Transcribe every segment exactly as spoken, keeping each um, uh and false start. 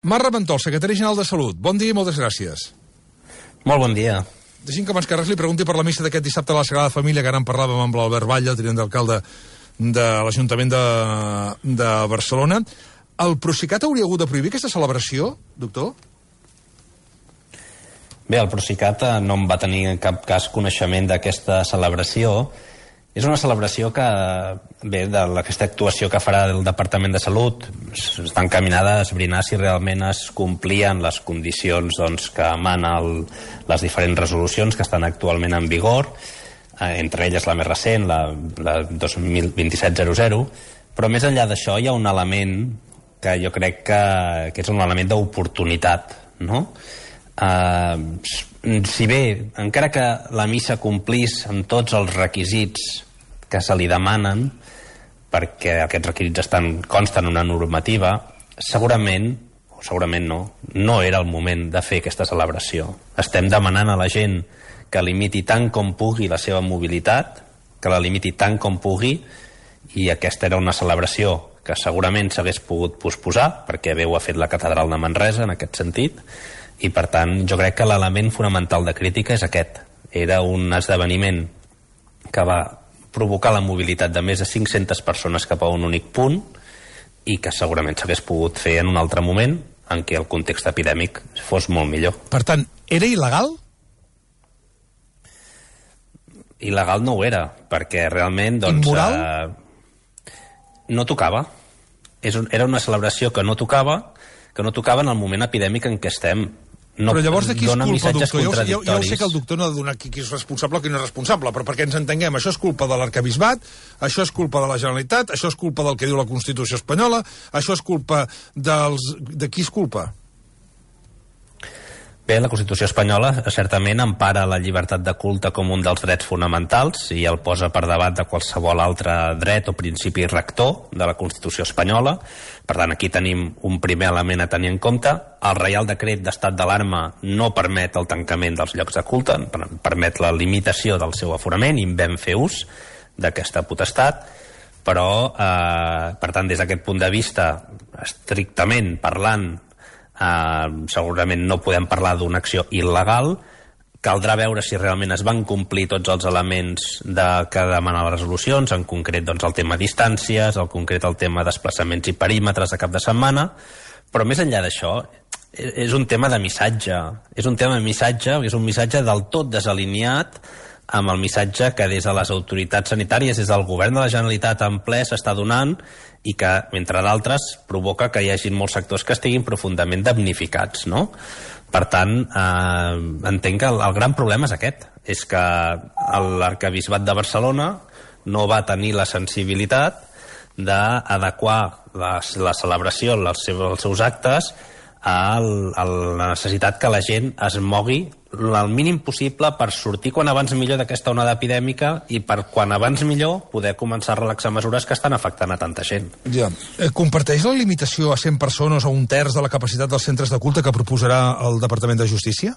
Marc Raventós, secretari general de Salut. Bon dia i moltes gràcies. Molt bon dia. Deixi'm que abans que res li pregunti per la missa d'aquest dissabte a la Sagrada Família, que ara en parlàvem amb l'Albert Batlle, tinent d'alcalde de l'Ajuntament de, de Barcelona. El Procicat hauria hagut de prohibir aquesta celebració, doctor? Bé, el Procicat no en va tenir en cap cas coneixement d'aquesta celebració. És una celebració que, bé, d'aquesta actuació que farà el Departament de Salut, està encaminada a esbrinar si realment es complien les condicions doncs, que emanen les diferents resolucions que estan actualment en vigor, eh, entre elles la més recent, la, la dos mil vint-i-set zero zero, però més enllà d'això hi ha un element que jo crec que, que és un element d'oportunitat, no? Eh, si bé, encara que la missa complís amb tots els requisits que se li demanen, perquè aquests requisits estan, consten una normativa, segurament, o segurament no, no era el moment de fer aquesta celebració. Estem demanant a la gent que limiti tant com pugui la seva mobilitat, que la limiti tant com pugui, i aquesta era una celebració que segurament s'hagués pogut posposar, perquè bé ho ha fet la Catedral de Manresa en aquest sentit, i per tant jo crec que l'element fonamental de crítica és aquest. Era un esdeveniment que va provocar la mobilitat de més de cinc-centes persones cap a un únic punt i que segurament s'hagués pogut fer en un altre moment en què el context epidèmic fos molt millor. Per tant, era il·legal? Il·legal no ho era, perquè realment doncs, immoral? Eh, no tocava. És un, era una celebració que no tocava, que no tocava en el moment epidèmic en què estem. No, però llavors de qui és culpa, doctor? Ja, ja, ja ho sé que el doctor no ha de donar qui, qui és responsable o qui no és responsable, però perquè ens entenguem, això és culpa de l'Arquebisbat, això és culpa de la Generalitat, això és culpa del que diu la Constitució espanyola, això és culpa dels... De qui és culpa? Bé, la Constitució espanyola certament empara la llibertat de culte com un dels drets fonamentals i el posa per davant de qualsevol altre dret o principi rector de la Constitució espanyola. Per tant, aquí tenim un primer element a tenir en compte. El Reial Decret d'Estat d'alarma no permet el tancament dels llocs de culte, permet la limitació del seu aforament i en vam fer ús d'aquesta potestat, però, eh, per tant, des d'aquest punt de vista, estrictament parlant, Uh, segurament no podem parlar d'una acció il·legal. Caldrà veure si realment es van complir tots els elements de, que demanen les resolucions, en concret doncs, el tema distàncies, en concret el tema desplaçaments i perímetres de cap de setmana, però més enllà d'això és un tema de missatge, és un tema de missatge, és un missatge del tot desalineat amb el missatge que des de les autoritats sanitàries, des del govern de la Generalitat en ple s'està donant i que, entre d'altres, provoca que hi hagi molts sectors que estiguin profundament damnificats, no? Per tant, eh, entenc que el, el gran problema és aquest, és que l'Arquebisbat de Barcelona no va tenir la sensibilitat d'adequar la, la celebració, els seus, els seus actes, a la necessitat que la gent es mogui el mínim possible per sortir quan abans millor d'aquesta onada epidèmica i per quan abans millor poder començar a relaxar mesures que estan afectant a tanta gent. Ja. Eh, comparteix la limitació a cent persones o un terç de la capacitat dels centres de culte que proposarà el Departament de Justícia?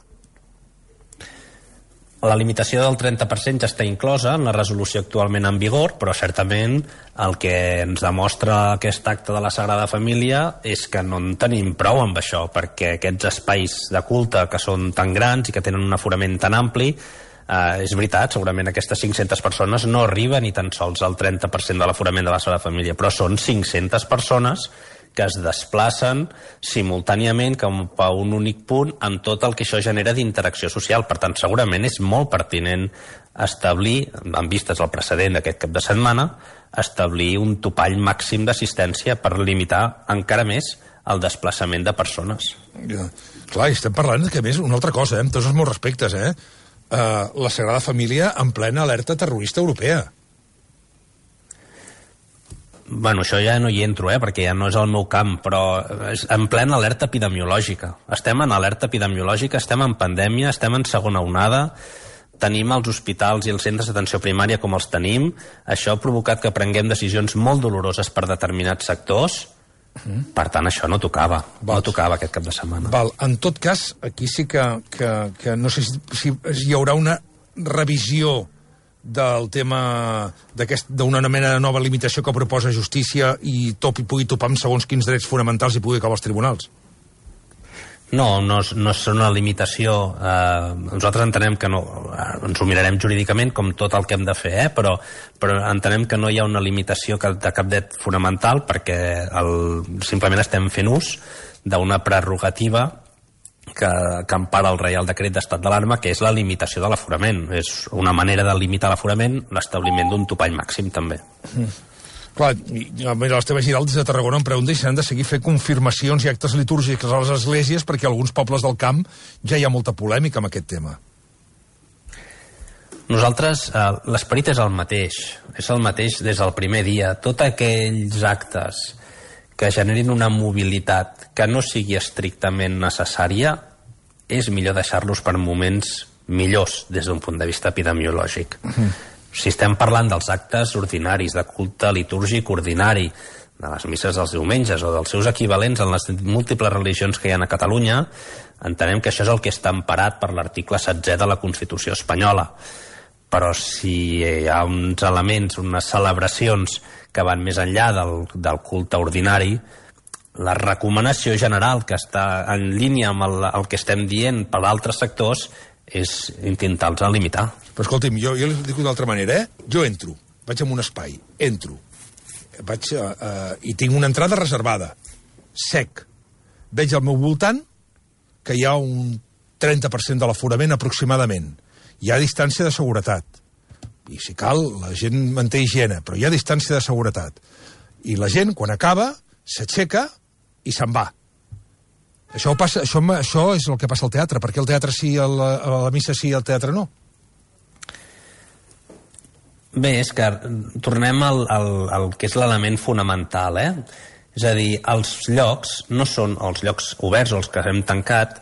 La limitació del trenta per cent ja està inclosa en la resolució actualment en vigor, però certament el que ens demostra aquest acte de la Sagrada Família és que no en tenim prou amb això, perquè aquests espais de culte que són tan grans i que tenen un aforament tan ampli, eh, és veritat, segurament aquestes cinc-centes persones no arriben ni tan sols al trenta per cent de l'aforament de la Sagrada Família, però són cinc-centes persones que es desplacen simultàniament cap a un únic punt amb tot el que això genera d'interacció social. Per tant, segurament és molt pertinent establir, en vistes al precedent d'aquest cap de setmana, establir un topall màxim d'assistència per limitar encara més el desplaçament de persones. Ja. Clar, estem parlant que, a més, una altra cosa, eh? Amb tots els meus respectes, eh? Uh, la Sagrada Família en plena alerta terrorista europea. Bueno, això ja no hi entro, eh, perquè ja no és el meu camp, però és en plena alerta epidemiològica. Estem en alerta epidemiològica, estem en pandèmia, estem en segona onada, tenim els hospitals i els centres d'atenció primària com els tenim. Això ha provocat que prenguem decisions molt doloroses per determinats sectors. Uh-huh. Per tant, això no tocava. Val. No tocava aquest cap de setmana. Val. En tot cas, aquí sí que, que, que no sé si, si hi haurà una revisió del tema d'una mena de nova limitació que proposa Justícia i top, i pugui topar amb segons quins drets fonamentals i pugui acabar als tribunals. No, no, no és una limitació. Eh, nosaltres entenem que no, eh, ens ho mirarem jurídicament com tot el que hem de fer, eh? però, però entenem que no hi ha una limitació de cap dret fonamental perquè el, simplement estem fent ús d'una prerrogativa que, que empara el Reial Decret d'Estat d'alarma, que és la limitació de l'aforament. És una manera de limitar l'aforament, l'establiment d'un topall màxim també. Mm. Clar, l'Esteve Giralt des de Tarragona em pregunta si s'han de seguir fent confirmacions i actes litúrgics a les esglésies perquè a alguns pobles del camp ja hi ha molta polèmica amb aquest tema. Nosaltres, eh, l'esperit és el mateix, és el mateix des del primer dia. Tots aquells actes que generin una mobilitat que no sigui estrictament necessària, és millor deixar-los per moments millors des d'un punt de vista epidemiològic. Mm. Si estem parlant dels actes ordinaris, de culte litúrgic ordinari, de les misses dels diumenges o dels seus equivalents en les múltiples religions que hi ha a Catalunya, entenem que això és el que està emparat per l'article setzè de la Constitució espanyola. Però si hi ha uns elements, unes celebracions que van més enllà del, del culte ordinari, la recomanació general que està en línia amb el, el que estem dient per altres sectors és intentar-los limitar. Però escolti'm, jo, jo li dic d'altra manera, eh? Jo entro, vaig a un espai, entro, vaig a, a, i tinc una entrada reservada, sec. Veig al meu voltant que hi ha un trenta per cent de l'aforament aproximadament. Hi ha distància de seguretat. I si cal, la gent manté higiene, però hi ha distància de seguretat. I la gent, quan acaba, s'aixeca i se'n va. Això, passa, això, això és el que passa al teatre. Per què el teatre sí, el, a la missa sí i el teatre no? Bé, és que tornem al, al, al que és l'element fonamental, eh? És a dir, els llocs no són els llocs oberts o els que hem tancat,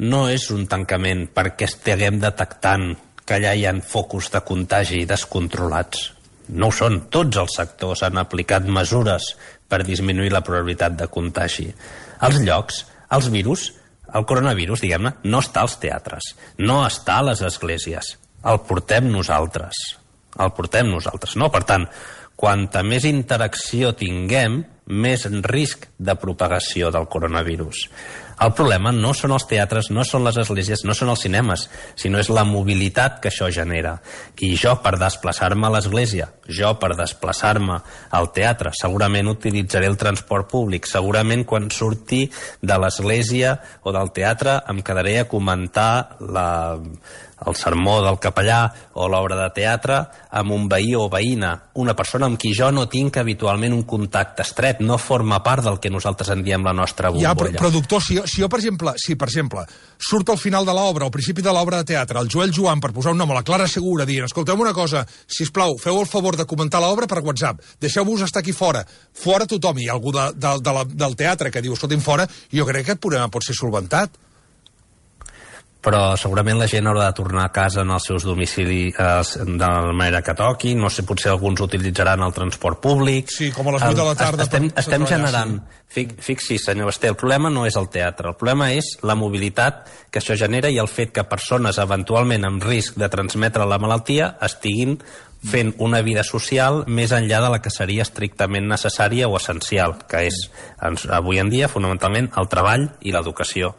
no és un tancament perquè estiguem detectant que allà hi ha focus de contagi descontrolats. No ho són. Tots els sectors han aplicat mesures per disminuir la probabilitat de contagi. Els llocs, els virus, el coronavirus, diguem-ne, no està als teatres, no està a les esglésies. El portem nosaltres. El portem nosaltres, no? Per tant, quanta més interacció tinguem, més risc de propagació del coronavirus. El problema no són els teatres, no són les esglésies, no són els cinemes, sinó és la mobilitat que això genera. I jo, per desplaçar-me a l'església, jo, per desplaçar-me al teatre, segurament utilitzaré el transport públic, segurament quan surti de l'església o del teatre em quedaré a comentar la, el sermó del capellà o l'obra de teatre amb un veí o veïna, una persona amb qui jo no tinc habitualment un contacte estret, no forma part del que nosaltres en diem la nostra bombolla. Ja, però, però doctor, si, si jo, per exemple, si, per exemple, surt al final de l'obra, al principi de l'obra de teatre, el Joel Joan, per posar un nom a la Clara Segura, dient, escolteu una cosa, sisplau, feu el favor de comentar l'obra per WhatsApp, deixeu-vos estar aquí fora, fora tothom, hi ha algú de, de, de la, del teatre que diu, escolti'm, fora, jo crec que aquest problema pot ser solventat. Però segurament la gent haurà de tornar a casa en els seus domicilis eh, de la manera que toqui, no sé, potser alguns utilitzaran el transport públic. Sí, com a les vuit de la tarda. Estem, estem generant, sí. Fixi, senyor Basté, el problema no és el teatre, el problema és la mobilitat que això genera i el fet que persones eventualment amb risc de transmetre la malaltia estiguin fent una vida social més enllà de la que seria estrictament necessària o essencial, que és avui en dia fonamentalment el treball i l'educació.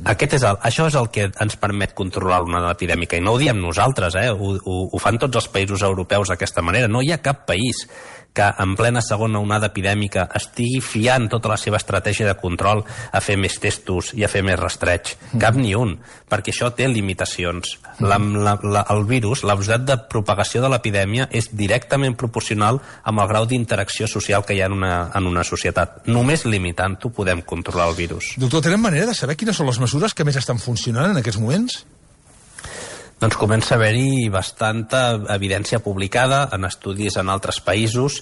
Aquest és el, això és el que ens permet controlar l'onada epidèmica, i no ho diem nosaltres, eh? ho, ho, ho fan tots els països europeus d'aquesta manera. No hi ha cap país que en plena segona onada epidèmica estigui fiant tota la seva estratègia de control a fer més testos i a fer més rastreig. Cap ni un, perquè això té limitacions. La, la, la, el virus, la velocitat de propagació de l'epidèmia és directament proporcional amb el grau d'interacció social que hi ha en una, en una societat. Només limitant-ho podem controlar el virus. Doctor, tenen manera de saber quines són les mesures que més estan funcionant en aquests moments? Doncs comença a haver-hi bastanta evidència publicada en estudis en altres països.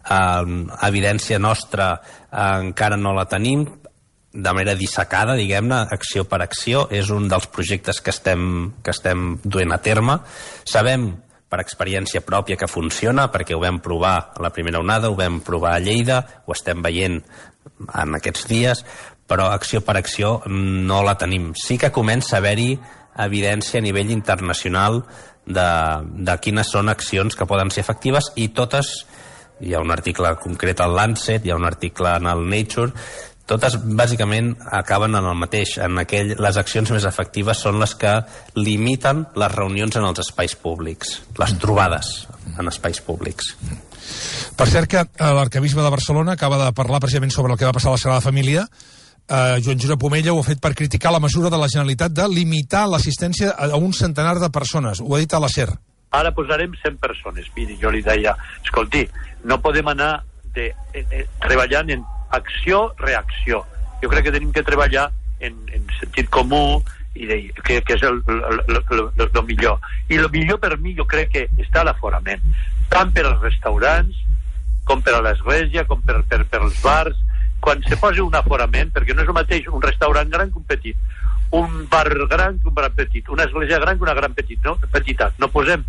Eh, evidència nostra eh, encara no la tenim, de manera dissecada, diguem-ne, acció per acció. És un dels projectes que estem, que estem duent a terme. Sabem per experiència pròpia que funciona, perquè ho vam provar a la primera onada, ho vam provar a Lleida, ho estem veient en aquests dies, però acció per acció no la tenim. Sí que comença a haver-hi evidència a nivell internacional de, de quines són accions que poden ser efectives, i totes, hi ha un article concret al Lancet, hi ha un article en el Nature, Totes, bàsicament, acaben en el mateix. En aquell, les accions més efectives són les que limiten les reunions en els espais públics, les trobades en espais públics. Per cert que l'arcabisbe de Barcelona acaba de parlar precisament sobre el que va passar a la Sagrada Família. Uh, Joan Josep Omella ho ha fet per criticar la mesura de la Generalitat de limitar l'assistència a un centenar de persones. Ho ha dit a la SER. Ara posarem cent persones. Miri, jo li deia, escolti, no podem anar de, eh, eh, treballant en acció-reacció. Jo crec que tenim que treballar en, en sentit comú i de, que, que és el, el, el, el, el millor. I el millor per mi jo crec que està l'aforament, tant per als restaurants com per a l'església, com per, per, per als bars. Quan se posa un aforament, perquè no és el mateix un restaurant gran que un petit, un bar gran que un bar petit, una església gran que una gran petit, no? Petitat. No posem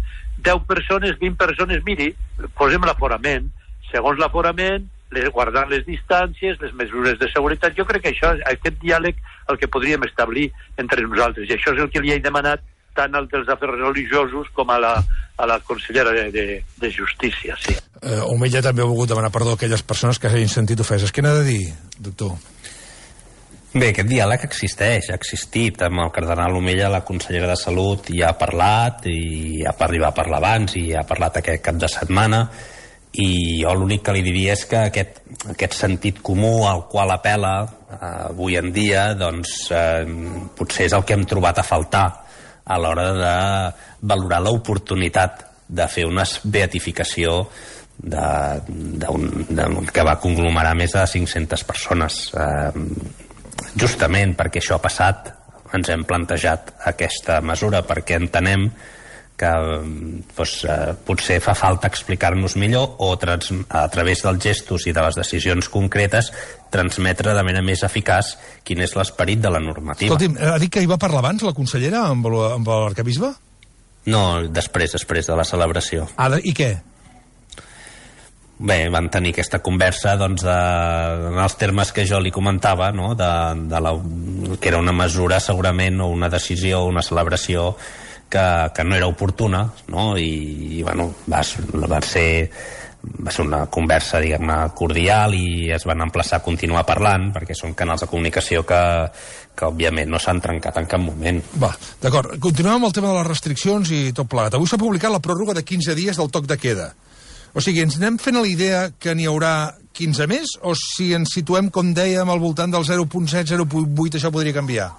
deu persones, vint persones, miri, posem l'aforament, segons l'aforament, guardant les distàncies, les mesures de seguretat. Jo crec que això, aquest diàleg, el que podríem establir entre nosaltres, i això és el que li he demanat tant als dels afers religiosos com a la, a la consellera de, de, de Justícia, sí. Eh, Omella també ha volgut demanar perdó a aquelles persones que s'hagin sentit ofeses. Què n'ha de dir, doctor? Bé, aquest diàleg existeix, ha existit. Amb el cardenal Omella, la consellera de Salut, ja ha parlat, i ja va parlar abans, i ha parlat aquest cap de setmana, i jo l'únic que li diria és que aquest, aquest sentit comú al qual apela eh, avui en dia, doncs eh, potser és el que hem trobat a faltar a l'hora de valorar l'oportunitat de fer una beatificació de, de un, de, que va conglomerar més de cinc-centes persones. Eh, justament perquè això ha passat, ens hem plantejat aquesta mesura, perquè entenem que doncs, eh, potser fa falta explicar-nos millor o trans, a través dels gestos i de les decisions concretes transmetre de manera més eficaç quin és l'esperit de la normativa. Escolti'm, ha dit que hi va parlar abans la consellera amb l'arcabisbe? No, després, després de la celebració. Ah, i què? Bé, van tenir aquesta conversa doncs, de, en els termes que jo li comentava, no? de, de la, que era una mesura segurament o una decisió o una celebració que, que no era oportuna, no? I, i bueno, va, va ser va ser una conversa, diguem-ne, cordial, i es van emplaçar a continuar parlant, perquè són canals de comunicació que, que òbviament no s'han trencat en cap moment. Va, d'acord. Continuem amb el tema de les restriccions i tot plegat. Avui s'ha publicat la pròrroga de quinze dies del toc de queda. O sigui, ens anem fent a la idea que n'hi haurà quinze més, o si ens situem, com dèiem, al voltant del zero coma set, zero coma vuit, això podria canviar?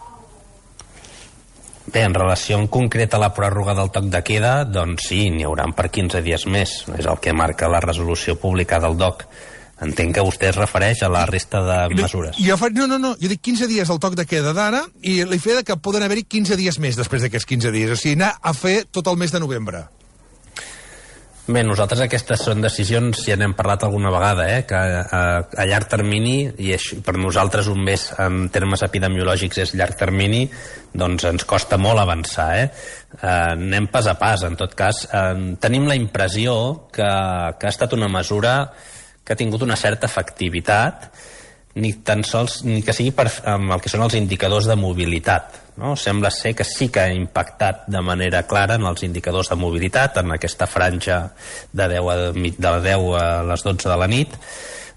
Bé, en relació en concret a la pròrroga del toc de queda, doncs sí, n'hi haurà per quinze dies més. És el que marca la resolució publicada al D O C. Entenc que vostè es refereix a la resta de mesures. Jo fa... No, no, no, jo dic quinze dies del toc de queda d'ara i la idea que poden haver-hi quinze dies més després d'aquests quinze dies. O sigui, anar a fer tot el mes de novembre. Bé, nosaltres aquestes són decisions, ja n'hem parlat alguna vegada, eh, que a, a llarg termini, i això, per nosaltres un mes en termes epidemiològics és llarg termini, doncs ens costa molt avançar. Eh? Eh, anem pas a pas, en tot cas. Eh, tenim la impressió que, que ha estat una mesura que ha tingut una certa efectivitat, ni tan sols ni que sigui per, amb el que són els indicadors de mobilitat. No? Sembla ser que sí que ha impactat de manera clara en els indicadors de mobilitat, en aquesta franja de deu a, de deu a les dotze de la nit.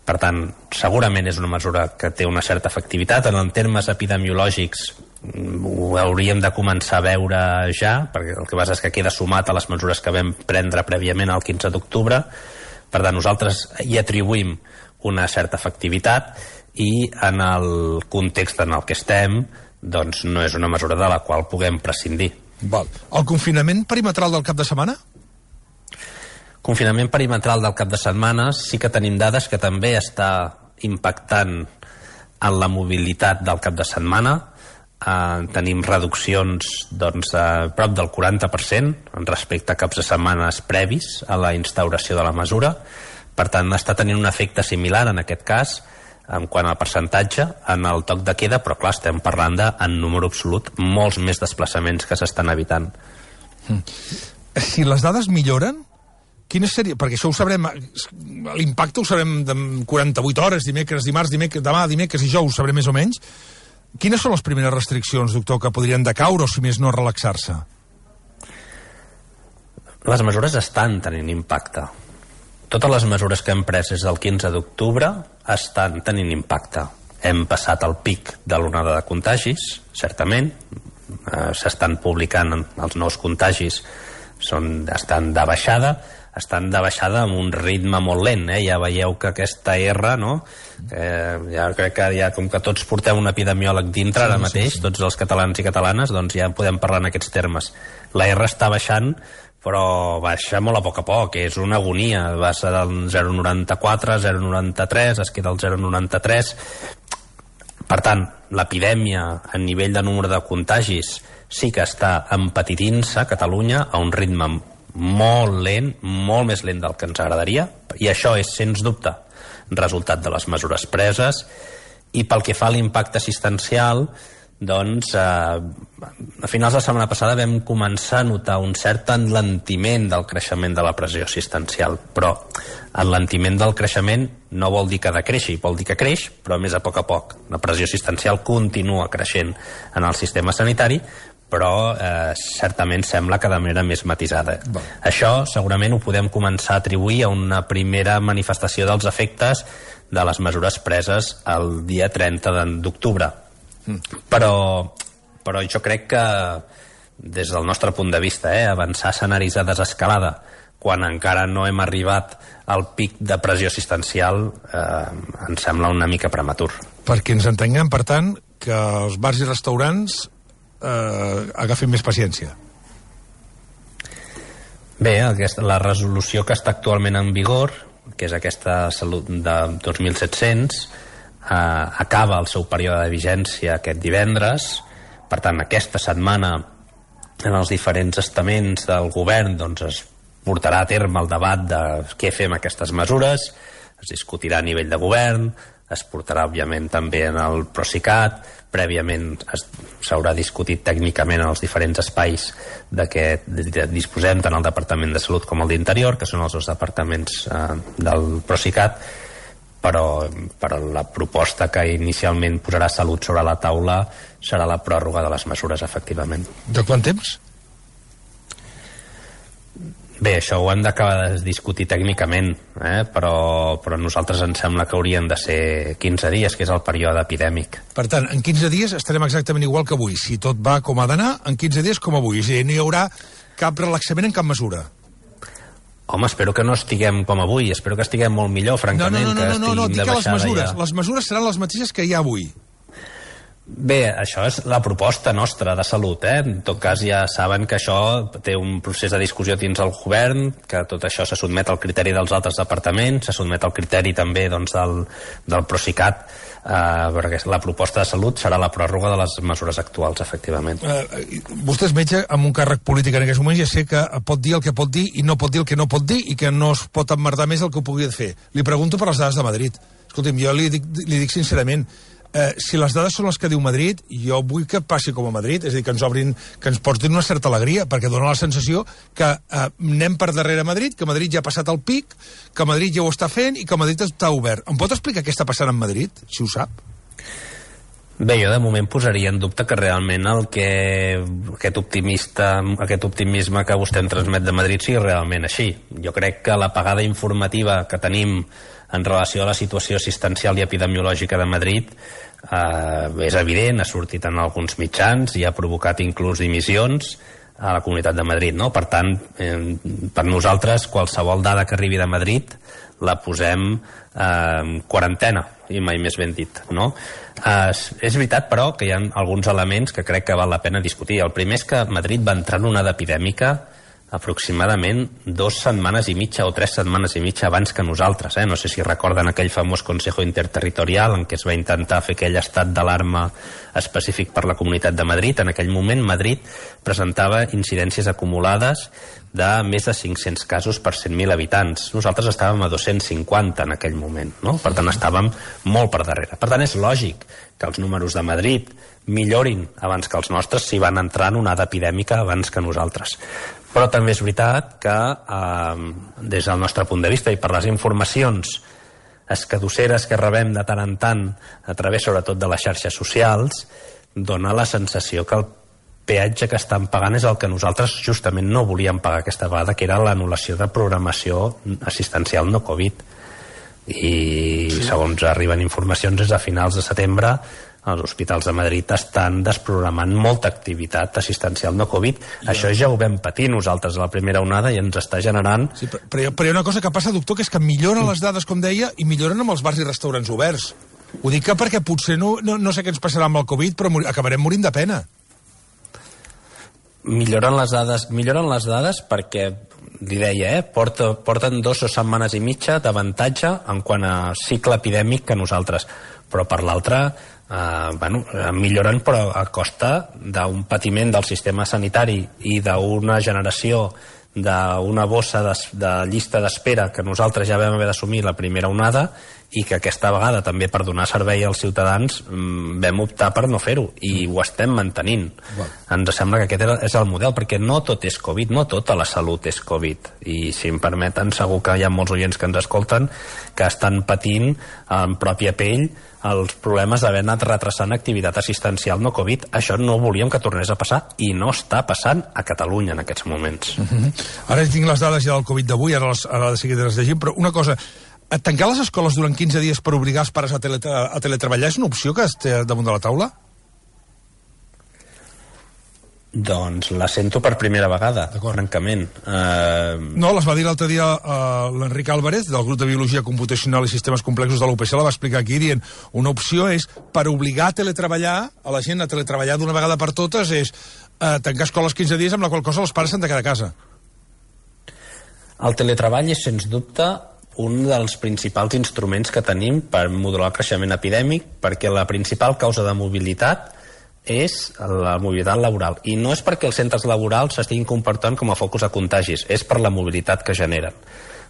Per tant, segurament és una mesura que té una certa efectivitat. En termes epidemiològics ho hauríem de començar a veure ja, perquè el que passa és que queda sumat a les mesures que vam prendre prèviament el quinze d'octubre. Per tant, nosaltres hi atribuïm una certa efectivitat, i en el context en el que estem, doncs no és una mesura de la qual puguem prescindir. Val. El confinament perimetral del cap de setmana? Confinament perimetral del cap de setmana sí que tenim dades que també està impactant en la mobilitat del cap de setmana. Eh, tenim reduccions doncs, a prop del quaranta per cent respecte a caps de setmanes previs a la instauració de la mesura. Per tant, està tenint un efecte similar en aquest cas en quant al percentatge en el toc de queda, però clar, estem parlant de, en número absolut, molts més desplaçaments que s'estan evitant. Si les dades milloren, quina seria? Perquè això ho sabrem, l'impacte ho sabrem de quaranta-vuit hores, dimecres, dimarts, dimecres, demà, dimecres i jou, ho sabrem més o menys. Quines són les primeres restriccions, doctor, que podrien decaure o, si més no, relaxar-se? Les mesures estan tenint impacte. Totes les mesures que hem pres des del quinze d'octubre estan tenint impacte. hem passat el pic de l'onada de contagis, certament. Eh, s'estan publicant els nous contagis, són, estan de baixada, estan de baixada amb un ritme molt lent, eh? Ja veieu que aquesta R, no? Eh, ja crec que ja, com que tots portem un epidemiòleg dintre sí, ara mateix, sí, sí. tots els catalans i catalanes, doncs ja podem parlar en aquests termes. La R està baixant, però baixa molt a poc a poc, és una agonia, va ser del zero coma noranta-quatre, zero coma noranta-tres, es queda al zero coma noranta-tres. Per tant, l'epidèmia a nivell de número de contagis sí que està empetitint-se a Catalunya a un ritme molt lent, molt més lent del que ens agradaria, i això és, sens dubte, resultat de les mesures preses. I pel que fa a l'impacte assistencial, doncs eh, a finals de la setmana passada vam començar a notar un cert enlentiment del creixement de la pressió assistencial, però enlentiment del creixement no vol dir que decreixi, vol dir que creix, però més a poc a poc. La pressió assistencial continua creixent en el sistema sanitari, però eh, certament sembla que de manera més matisada. Bon. Això segurament ho podem començar a atribuir a una primera manifestació dels efectes de les mesures preses el dia trenta d'octubre. Mm. Però, però jo crec que des del nostre punt de vista, eh, avançar escenaris de desescalada quan encara no hem arribat al pic de pressió assistencial eh, em sembla una mica prematur. Perquè ens entenguem, per tant, que els bars i restaurants eh, agafin més paciència. Bé, aquesta, la resolució que està actualment en vigor, que és aquesta salut de dos mil set-cents, eh, acaba el seu període de vigència aquest divendres. Per tant, aquesta setmana en els diferents estaments del govern doncs, es portarà a terme el debat de què fem aquestes mesures, es discutirà a nivell de govern, es portarà òbviament també en el Procicat, prèviament s'haurà discutit tècnicament en els diferents espais de què disposem tant el Departament de Salut com el d'Interior, que són els dos departaments eh, del Procicat, però, però la proposta que inicialment posarà Salut sobre la taula serà la pròrroga de les mesures, efectivament. De quant temps? Bé, això ho hem d'acabar de discutir tècnicament, eh? però, però a nosaltres ens sembla que haurien de ser quinze dies, que és el període epidèmic. Per tant, en quinze dies estarem exactament igual que avui. Si tot va com ha d'anar, en quinze dies com avui. És a dir, no hi haurà cap relaxament en cap mesura. Home, espero que no estiguem com avui, espero que estiguem molt millor, francament, no, no, no, no, que no, no, no, estiguin dic de que les baixada mesures, ja. Les mesures seran les mateixes que hi ha avui. Bé, això és la proposta nostra de Salut, eh? En tot cas ja saben que això té un procés de discussió dins el govern, que tot això se sotmet al criteri dels altres departaments, se sotmet al criteri també doncs, del, del Procicat, eh, perquè la proposta de Salut serà la pròrroga de les mesures actuals, efectivament. Eh, vostè és metge amb un càrrec polític en aquests moments, ja sé que pot dir el que pot dir i no pot dir el que no pot dir i que no es pot emmerdar més el que ho pugui fer. Li pregunto per les dades de Madrid. Escolti'm, jo li dic, li dic sincerament, Eh, si les dades són les que diu Madrid, jo vull que passi com a Madrid, és a dir, que ens obrin, que ens portin una certa alegria, perquè dona la sensació que eh, anem per darrere Madrid, que Madrid ja ha passat el pic, que Madrid ja ho està fent i que Madrid està obert. Em pot explicar què està passant en Madrid, si ho sap? Bé, jo de moment posaria en dubte que realment el que aquest optimista, aquest optimisme que vostè em transmet de Madrid sigui realment així. Jo crec que l'apagada informativa que tenim en relació a la situació assistencial i epidemiològica de Madrid eh, és evident, ha sortit en alguns mitjans i ha provocat inclús dimissions a la Comunitat de Madrid, no? Per tant, eh, per nosaltres qualsevol dada que arribi de Madrid la posem eh, en quarantena, i mai més ben dit, no? Eh, és veritat, però, que hi ha alguns elements que crec que val la pena discutir. El primer és que Madrid va entrar en una onada epidèmica aproximadament dues setmanes i mitja o tres setmanes i mitja abans que nosaltres, eh? No sé si recorden aquell famós Consejo Interterritorial en què es va intentar fer aquell estat d'alarma específic per la Comunitat de Madrid. En aquell moment Madrid presentava incidències acumulades de més de cinc-cents casos per cent mil habitants. Nosaltres estàvem a dos-cents cinquanta en aquell moment, no? Per tant, estàvem molt per darrere. Per tant, és lògic que els números de Madrid millorin abans que els nostres si van entrar en una onada epidèmica abans que nosaltres. Però també és veritat que, eh, des del nostre punt de vista i per les informacions escadusseres que rebem de tant en tant a través sobretot de les xarxes socials, dona la sensació que el peatge que estan pagant és el que nosaltres justament no volíem pagar aquesta vegada, que era l'anul·lació de programació assistencial no Covid. i sí. segons arriben informacions des de finals de setembre els hospitals de Madrid estan desprogramant molta activitat assistencial no Covid. Ja. Això ja ho vam patir nosaltres a la primera onada i ens està generant... Sí, però, però, però hi ha una cosa que passa, doctor, que és que milloren les dades, com deia, i milloren amb els bars i restaurants oberts. Ho dic que perquè potser no, no, no sé què ens passarà amb el Covid, però mor acabarem morint de pena. Milloren les dades, milloren les dades perquè, li deia, eh, porta, porten dos o setmanes i mitja d'avantatge en quant a cicle epidèmic que nosaltres. Però per l'altra, eh, bueno, milloren però a costa d'un patiment del sistema sanitari i d'una generació d'una bossa de, de llista d'espera que nosaltres ja vam haver d'assumir la primera onada i que aquesta vegada també per donar servei als ciutadans vam optar per no fer-ho i ho estem mantenint. Wow. Ens sembla que aquest és el model, perquè no tot és Covid, no tota la salut és Covid, i si em permeten segur que hi ha molts oients que ens escolten que estan patint en pròpia pell els problemes d'haver anat retrasant activitat assistencial no Covid. Això no volíem que tornés a passar i no està passant a Catalunya en aquests moments. Uh-huh. Ara tinc les dades ja del Covid d'avui, ara, les, ara de seguida les llegim, però una cosa, tancar les escoles durant quinze dies per obligar els pares a, teletra a teletreballar és una opció que té damunt de la taula? Doncs la sento per primera vegada, francament. Uh... No, les va dir l'altre dia uh, l'Enric Álvarez, del grup de Biologia Computacional i Sistemes Complexos de l'U P C, la va explicar aquí, dient una opció és, per obligar a teletreballar, a la gent a teletreballar d'una vegada per totes, és uh, tancar escoles quinze dies, amb la qual cosa els pares s'han de quedar a casa. El teletreball és, sens dubte, un dels principals instruments que tenim per modular el creixement epidèmic, perquè la principal causa de mobilitat és la mobilitat laboral. I no és perquè els centres laborals s'estiguin comportant com a focus de contagis, és per la mobilitat que generen.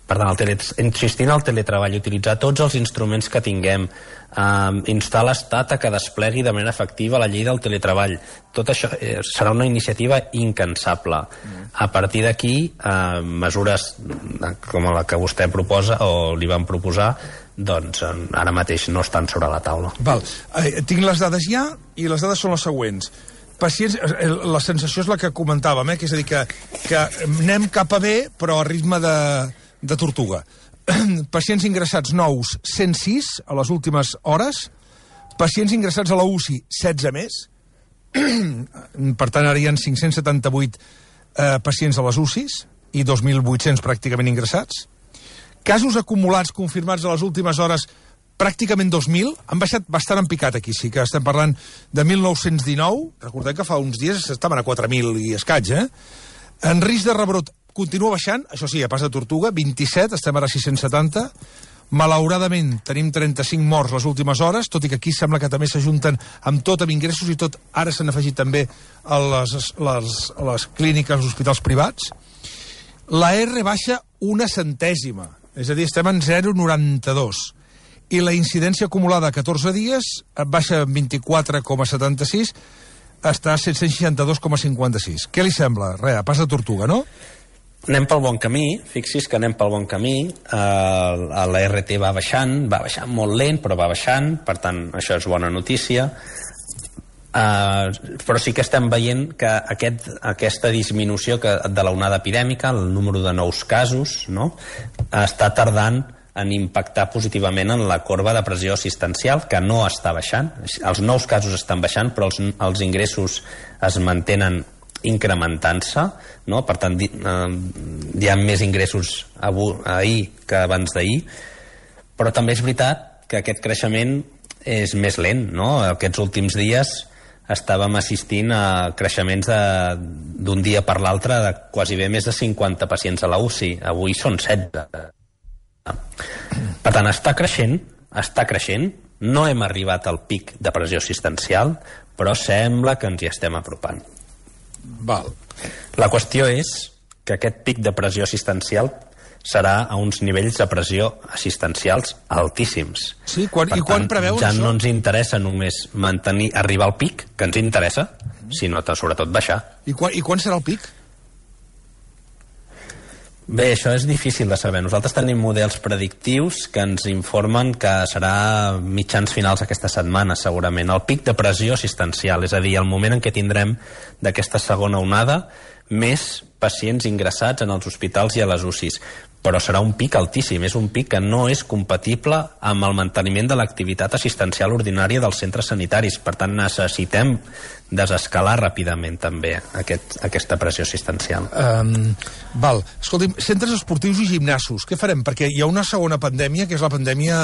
Per tant, el tele... insistir en el teletreball, utilitzar tots els instruments que tinguem, eh, instar l'Estat a que desplegui de manera efectiva la llei del teletreball, tot això eh, serà una iniciativa incansable. Mm. A partir d'aquí, eh, mesures com la que vostè proposa o li van proposar, doncs ara mateix no estan sobre la taula. Val. Eh, tinc les dades ja i les dades són les següents. Pacients, la sensació és la que comentàvem, eh? Que és a dir, que, que anem cap a B però a ritme de, de tortuga. Pacients ingressats nous, cent sis a les últimes hores. Pacients ingressats a la U C I, setze més. Per tant, ara hi ha cinc-cents setanta-vuit eh, pacients a les U C Is i dos mil vuit-cents pràcticament ingressats. Casos acumulats confirmats a les últimes hores, pràcticament dos mil, han baixat bastant en picat aquí, sí que estem parlant de mil nou-cents dinou, recordem que fa uns dies estaven a quatre mil i escaig, eh? En risc de rebrot continua baixant, això sí, a pas de tortuga, vint-i-set, estem ara a sis-cents setanta, malauradament tenim trenta-cinc morts les últimes hores, tot i que aquí sembla que també s'ajunten amb tot, amb ingressos i tot, ara s'han afegit també a les, les, a les clíniques, als hospitals privats. La R baixa una centèsima, és a dir, estem en zero coma noranta-dos. I la incidència acumulada a catorze dies baixa vint-i-quatre coma setanta-sis, està a set-cents seixanta-dos coma cinquanta-sis. Què li sembla? Re, a pas de tortuga, no? Anem pel bon camí, fixi's que anem pel bon camí, uh, la R T va baixant, va baixant molt lent, però va baixant, per tant, això és bona notícia. Uh, però sí que estem veient que aquest, aquesta disminució que, de l'onada epidèmica, el número de nous casos, no?, està tardant en impactar positivament en la corba de pressió assistencial, que no està baixant. Els nous casos estan baixant, però els, els ingressos es mantenen incrementant-se, no? Per tant, di, uh, hi ha més ingressos avui, ahir que abans d'ahir, però també és veritat que aquest creixement és més lent, no? Aquests últims dies estàvem assistint a creixements d'un dia per l'altre de quasi bé més de cinquanta pacients a la U C I. Avui són setze. Per tant, està creixent, està creixent. No hem arribat al pic de pressió assistencial, però sembla que ens hi estem apropant. Val. La qüestió és que aquest pic de pressió assistencial serà a uns nivells de pressió assistencials altíssims. Sí, quan, per i quan tant, preveus ja això? No ens interessa només mantenir, arribar al pic, que ens interessa, mm. sinó sobretot baixar. I quan, I quan serà el pic? Bé, això és difícil de saber. Nosaltres tenim models predictius que ens informen que serà mitjans finals aquesta setmana, segurament. El pic de pressió assistencial, és a dir, el moment en què tindrem d'aquesta segona onada més pacients ingressats en els hospitals i a les U C Is. però serà un pic altíssim, és un pic que no és compatible amb el manteniment de l'activitat assistencial ordinària dels centres sanitaris. Per tant, necessitem desescalar ràpidament també aquest, aquesta pressió assistencial. Um, val, escolti'm, centres esportius i gimnasos, què farem? Perquè hi ha una segona pandèmia, que és la pandèmia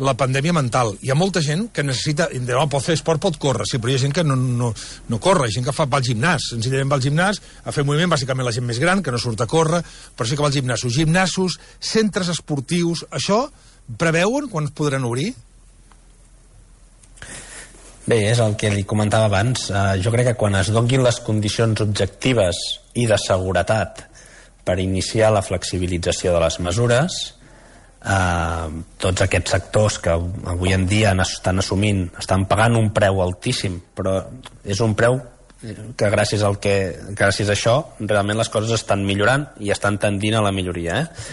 la pandèmia mental. Hi ha molta gent que necessita, no, pot fer esport, pot córrer, sí, però hi ha gent que no, no, no corre, hi ha gent que fa, va al gimnàs, senzillament va al gimnàs a fer moviment, bàsicament la gent més gran, que no surt a córrer, però sí que va al gimnàs. Gimnasos, centres esportius, això preveuen quan es podran obrir? Bé, és el que li comentava abans. Uh, jo crec que quan es donin les condicions objectives i de seguretat per iniciar la flexibilització de les mesures, uh, tots aquests sectors que avui en dia estan assumint, estan pagant un preu altíssim, però és un preu que gràcies al que gràcies a això realment les coses estan millorant i estan tendint a la milloria, eh?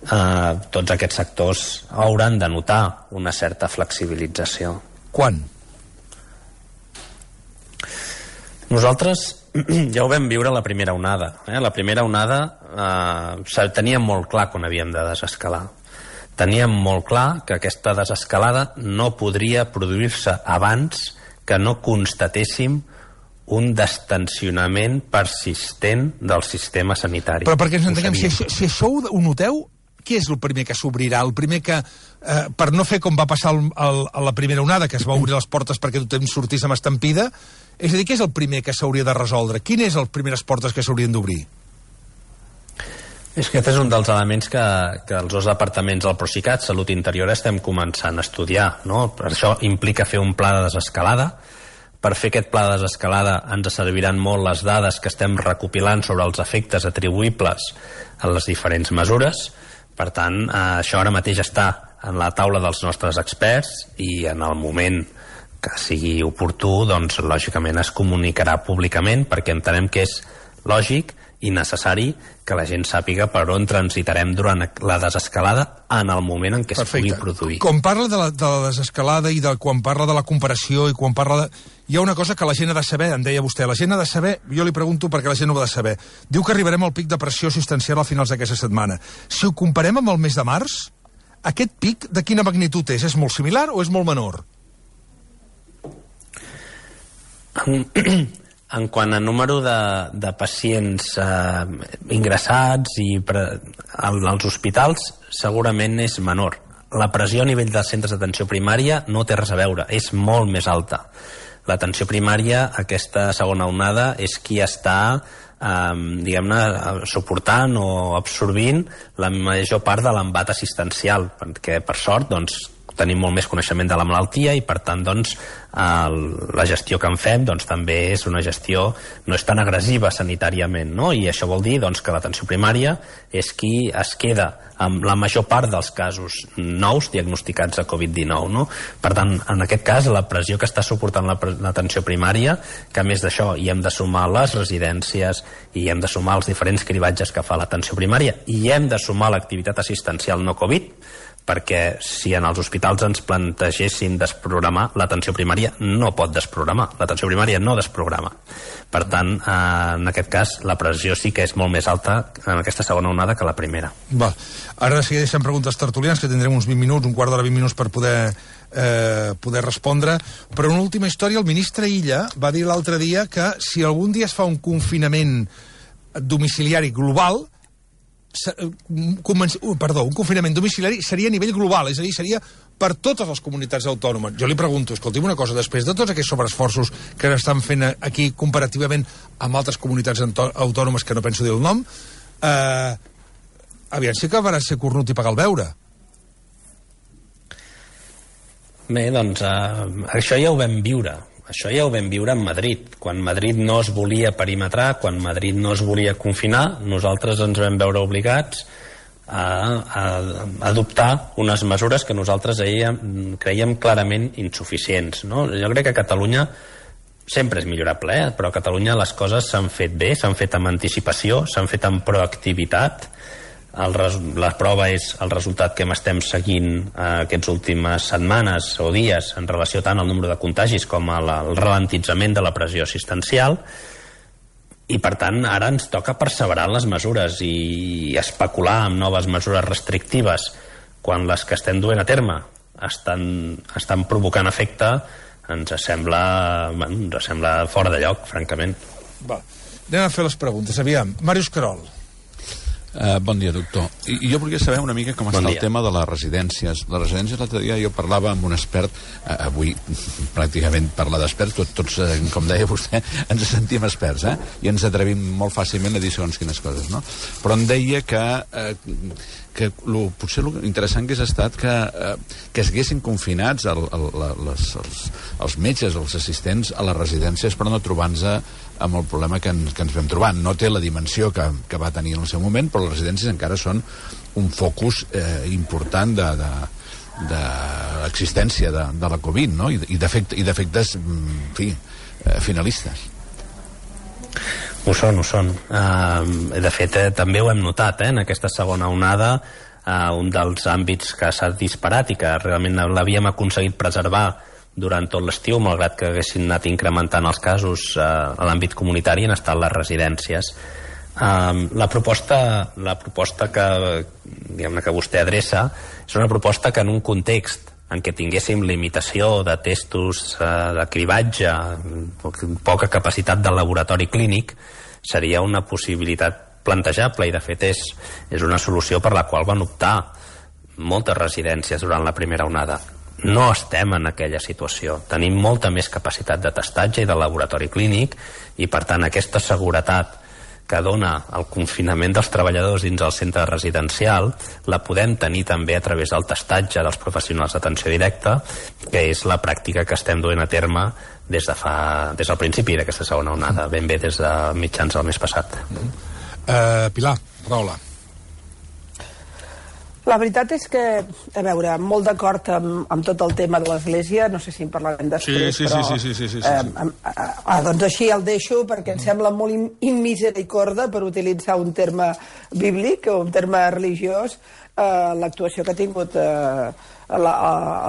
Uh, tots aquests sectors hauran de notar una certa flexibilització. Quan? Nosaltres ja ho vam viure la primera onada. Eh? La primera onada eh, teníem molt clar quan havíem de desescalar. Teníem molt clar que aquesta desescalada no podria produir-se abans que no constatéssim un destensionament persistent del sistema sanitari. Però perquè ens entenguem, si això, si això ho noteu, què és el primer que s'obrirà? El primer que, eh, per no fer com va passar el, el, a la primera onada, que es va obrir les portes perquè tothom sortís amb estampida, és a dir, què és el primer que s'hauria de resoldre? Quines és les primeres portes que s'haurien d'obrir? És que aquest és un dels elements que, que els dos departaments del Procicat, Salut i Interior, estem començant a estudiar, no? Per això implica fer un pla de desescalada. Per fer aquest pla de desescalada ens serviran molt les dades que estem recopilant sobre els efectes atribuïbles a les diferents mesures. Per tant, eh, això ara mateix està en la taula dels nostres experts i en el moment que sigui oportú, doncs lògicament es comunicarà públicament, perquè entenem que és lògic i necessari que la gent sàpiga per on transitarem durant la desescalada en el moment en què es pugui produir. Quan parla de la, de la desescalada i de, quan parla de la comparació i quan parla de... Hi ha una cosa que la gent ha de saber, em deia vostè, la gent ha de saber, jo li pregunto perquè la gent ho ha de saber. Diu que arribarem al pic de pressió assistencial a finals d'aquesta setmana. Si ho comparem amb el mes de març, aquest pic de quina magnitud és? És molt similar o és molt menor? En, en quant a número de, de pacients eh, ingressats i pre, als hospitals, segurament és menor. La pressió a nivell dels centres d'atenció primària no té res a veure, és molt més alta. L'atenció primària, aquesta segona onada, és qui està eh, diguem-ne, suportant o absorbint la major part de l'embat assistencial, perquè per sort, doncs, tenim molt més coneixement de la malaltia i per tant doncs, eh, la gestió que en fem doncs, també és una gestió no és tan agressiva sanitàriament, no? I això vol dir doncs, que l'atenció primària és qui es queda amb la major part dels casos nous diagnosticats de covid dinou, no? Per tant, en aquest cas, la pressió que està suportant l'atenció primària, que a més d'això hi hem de sumar les residències i hi hem de sumar els diferents cribatges que fa l'atenció primària i hi hem de sumar l'activitat assistencial no Covid, perquè si en els hospitals ens plantegéssim desprogramar, l'atenció primària no pot desprogramar, l'atenció primària no desprograma. Per tant, eh, en aquest cas, la pressió sí que és molt més alta en aquesta segona onada que la primera. Va. Ara de seguida deixem preguntes tertulians, que tindrem uns vint minuts, un quart d'hora, vint minuts per poder, eh, poder respondre. Però una última història, el ministre Illa va dir l'altre dia que si algun dia es fa un confinament domiciliari global, perdó, un confinament domiciliari seria a nivell global, és a dir, seria per totes les comunitats autònomes. Jo li pregunto, escolti'm una cosa, després de tots aquests sobreesforços que estan fent aquí comparativament amb altres comunitats autònomes que no penso dir el nom, eh, aviam si acabarà ser cornut i pagar el beure. Bé, doncs eh, això ja ho vam viure. Això ja ho vam viure en Madrid. Quan Madrid no es volia perimetrar, quan Madrid no es volia confinar, nosaltres ens vam veure obligats a, a, a adoptar unes mesures que nosaltres creiem, creiem clarament insuficients, no? Jo crec que a Catalunya sempre és millorable, eh? Però a Catalunya les coses s'han fet bé, s'han fet amb anticipació, s'han fet amb proactivitat. El, la prova és el resultat que estem seguint eh, aquestes últimes setmanes o dies en relació tant al número de contagis com al ralentitzament de la pressió assistencial. I, per tant, ara ens toca perseverar en les mesures i especular amb noves mesures restrictives quan les que estem duent a terme estan, estan provocant efecte, ens sembla, bueno, ens sembla fora de lloc, francament. Va, anem a fer les preguntes. Aviam, Màrius Querol. Uh, bon dia, doctor. I, jo volia saber una mica com bon està dia. el tema de les residències. Les residències, l'altre dia jo parlava amb un expert, uh, avui pràcticament parlar d'experts, tot, tots, uh, com deia vostè, ens sentim experts, eh? I ens atrevim molt fàcilment a dir segons quines coses, no? Però em deia que, uh, que lo, potser l'interessant hagués estat que, uh, que es haguessin confinats el, el, les, els, els metges, els assistents a les residències per no trobar-nos amb el problema que, en, que ens vam trobar. No té la dimensió que, que va tenir en el seu moment, però les residències encara són un focus eh, important de, de, de l'existència de, de la Covid, no? I, i d'efectes, en fi, eh, finalistes. Ho són, ho són. Uh, de fet, eh, també ho hem notat, eh, en aquesta segona onada, uh, un dels àmbits que s'ha disparat i que realment l'havíem aconseguit preservar durant tot l'estiu, malgrat que haguessin anat incrementant els casos eh, a l'àmbit comunitari, han estat les residències. Um, la proposta, la proposta que, diguem-ne, que vostè adreça és una proposta que en un context en què tinguéssim limitació de testos, eh, de cribatge, poca capacitat del laboratori clínic, seria una possibilitat plantejable i de fet és, és una solució per la qual van optar moltes residències durant la primera onada. No estem en aquella situació. Tenim molta més capacitat de testatge i de laboratori clínic i, per tant, aquesta seguretat que dona el confinament dels treballadors dins el centre residencial la podem tenir també a través del testatge dels professionals d'atenció directa, que és la pràctica que estem duent a terme des, de fa, des del principi d'aquesta segona onada, ben bé des de mitjans del mes passat. Uh, Pilar, paraula. La veritat és que, a veure, molt d'acord amb, amb tot el tema de l'Església, no sé si en parlarem després, sí, sí, però... Sí, sí, sí, sí, sí, sí. Eh, eh, eh, doncs així el deixo, perquè em sembla molt immisericorda, per utilitzar un terme bíblic o un terme religiós, eh, l'actuació que ha tingut eh, la,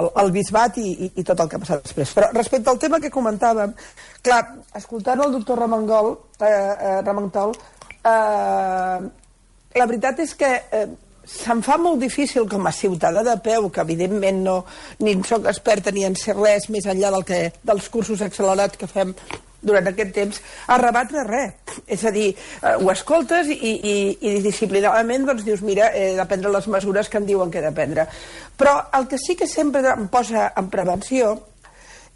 el, el bisbat i, i, i tot el que ha passat després. Però respecte al tema que comentàvem, clar, escoltant el doctor Ramangol, eh, eh, Ramantol, eh, la veritat és que... Eh, se'm fa molt difícil com a ciutadà de peu, que evidentment no, ni soc experta ni en ser res més enllà del que, dels cursos accelerats que fem durant aquest temps, a rebatre res. És a dir, eh, ho escoltes i, i, i disciplinadament doncs dius, mira, he de prendre les mesures que em diuen que he de prendre. Però el que sí que sempre em posa en prevenció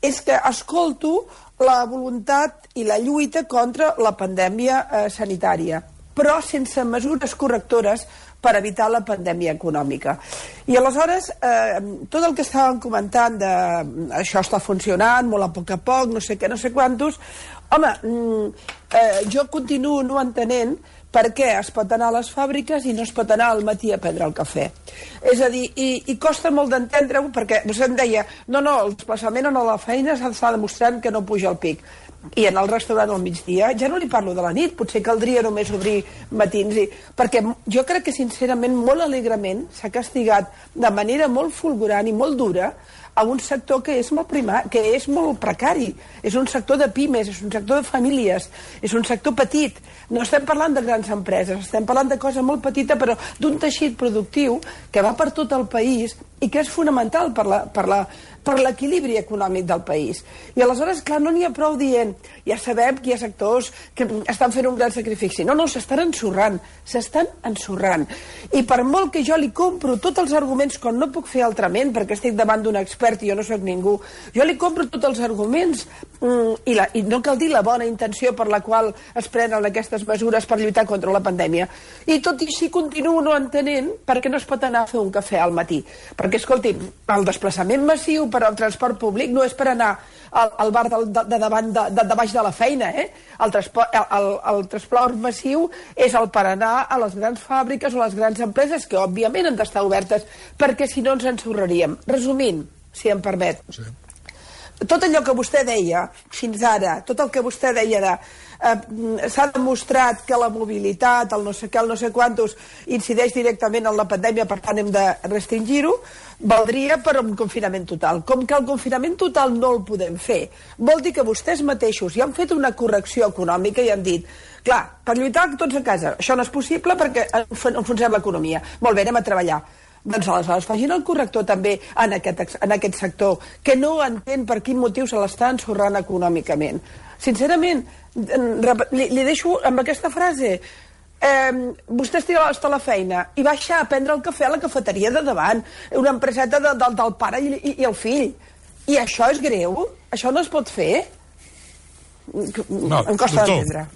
és que escolto la voluntat i la lluita contra la pandèmia eh, sanitària, però sense mesures correctores per evitar la pandèmia econòmica. I aleshores, eh, tot el que estàvem comentant de això està funcionant, molt a poc a poc, no sé què, no sé quantos, home, eh, jo continuo no entenent per què es pot anar a les fàbriques i no es pot anar al matí a prendre el cafè. És a dir, i, i costa molt d'entendre-ho perquè vostè em deia, no, no, el desplaçament a la feina s'està demostrant que no puja el pic. I en el restaurant al migdia, ja no li parlo de la nit, potser caldria només obrir matins, i, perquè jo crec que sincerament molt alegrement s'ha castigat de manera molt fulgurant i molt dura a un sector que és molt primar, que és molt precari, és un sector de pimes, és un sector de famílies, és un sector petit. No estem parlant de grans empreses, estem parlant de cosa molt petita, però d'un teixit productiu que va per tot el país i que és fonamental per la, per la, per l'equilibri econòmic del país. I aleshores, clar, no n'hi ha prou dient, ja sabem que hi ha sectors que estan fent un gran sacrifici. No, no, s'estan ensorrant, s'estan ensorrant. I per molt que jo li compro tots els arguments, quan no puc fer altrament, perquè estic davant d'un expert i jo no sóc ningú, jo li compro tots els arguments mm, i, la, i no cal dir la bona intenció per la qual es prenen aquestes mesures per lluitar contra la pandèmia. I tot i així continuo no entenent per què no es pot anar a fer un cafè al matí. Perquè, escolti, el desplaçament massiu per al transport públic no és per anar al, al bar de, de, de davant de, de, de baix de la feina, eh? El transport, el, el, el transport massiu és el per anar a les grans fàbriques o a les grans empreses, que òbviament han d'estar obertes, perquè si no ens ensorraríem. Resumint, si em permet, sí. tot allò que vostè deia fins ara, tot el que vostè deia de eh, s'ha demostrat que la mobilitat, el no sé què, el no sé quantos, incideix directament en la pandèmia, per tant hem de restringir-ho, valdria per un confinament total. Com que el confinament total no el podem fer, vol dir que vostès mateixos ja han fet una correcció econòmica i han dit, clar, per lluitar tots a casa, això no és possible perquè enfonsem l'economia. Molt bé, anem a treballar. Doncs aleshores facin el corrector també en aquest, en aquest sector, que no entén per quin motiu se l'està ensorrant econòmicament. Sincerament, li, li deixo amb aquesta frase. Eh, vostè està a la feina i baixa a prendre el cafè a la cafeteria de davant, una empreseta de, de, del pare i, i, i el fill. I això és greu? Això no es pot fer? No, em costa d'entendre.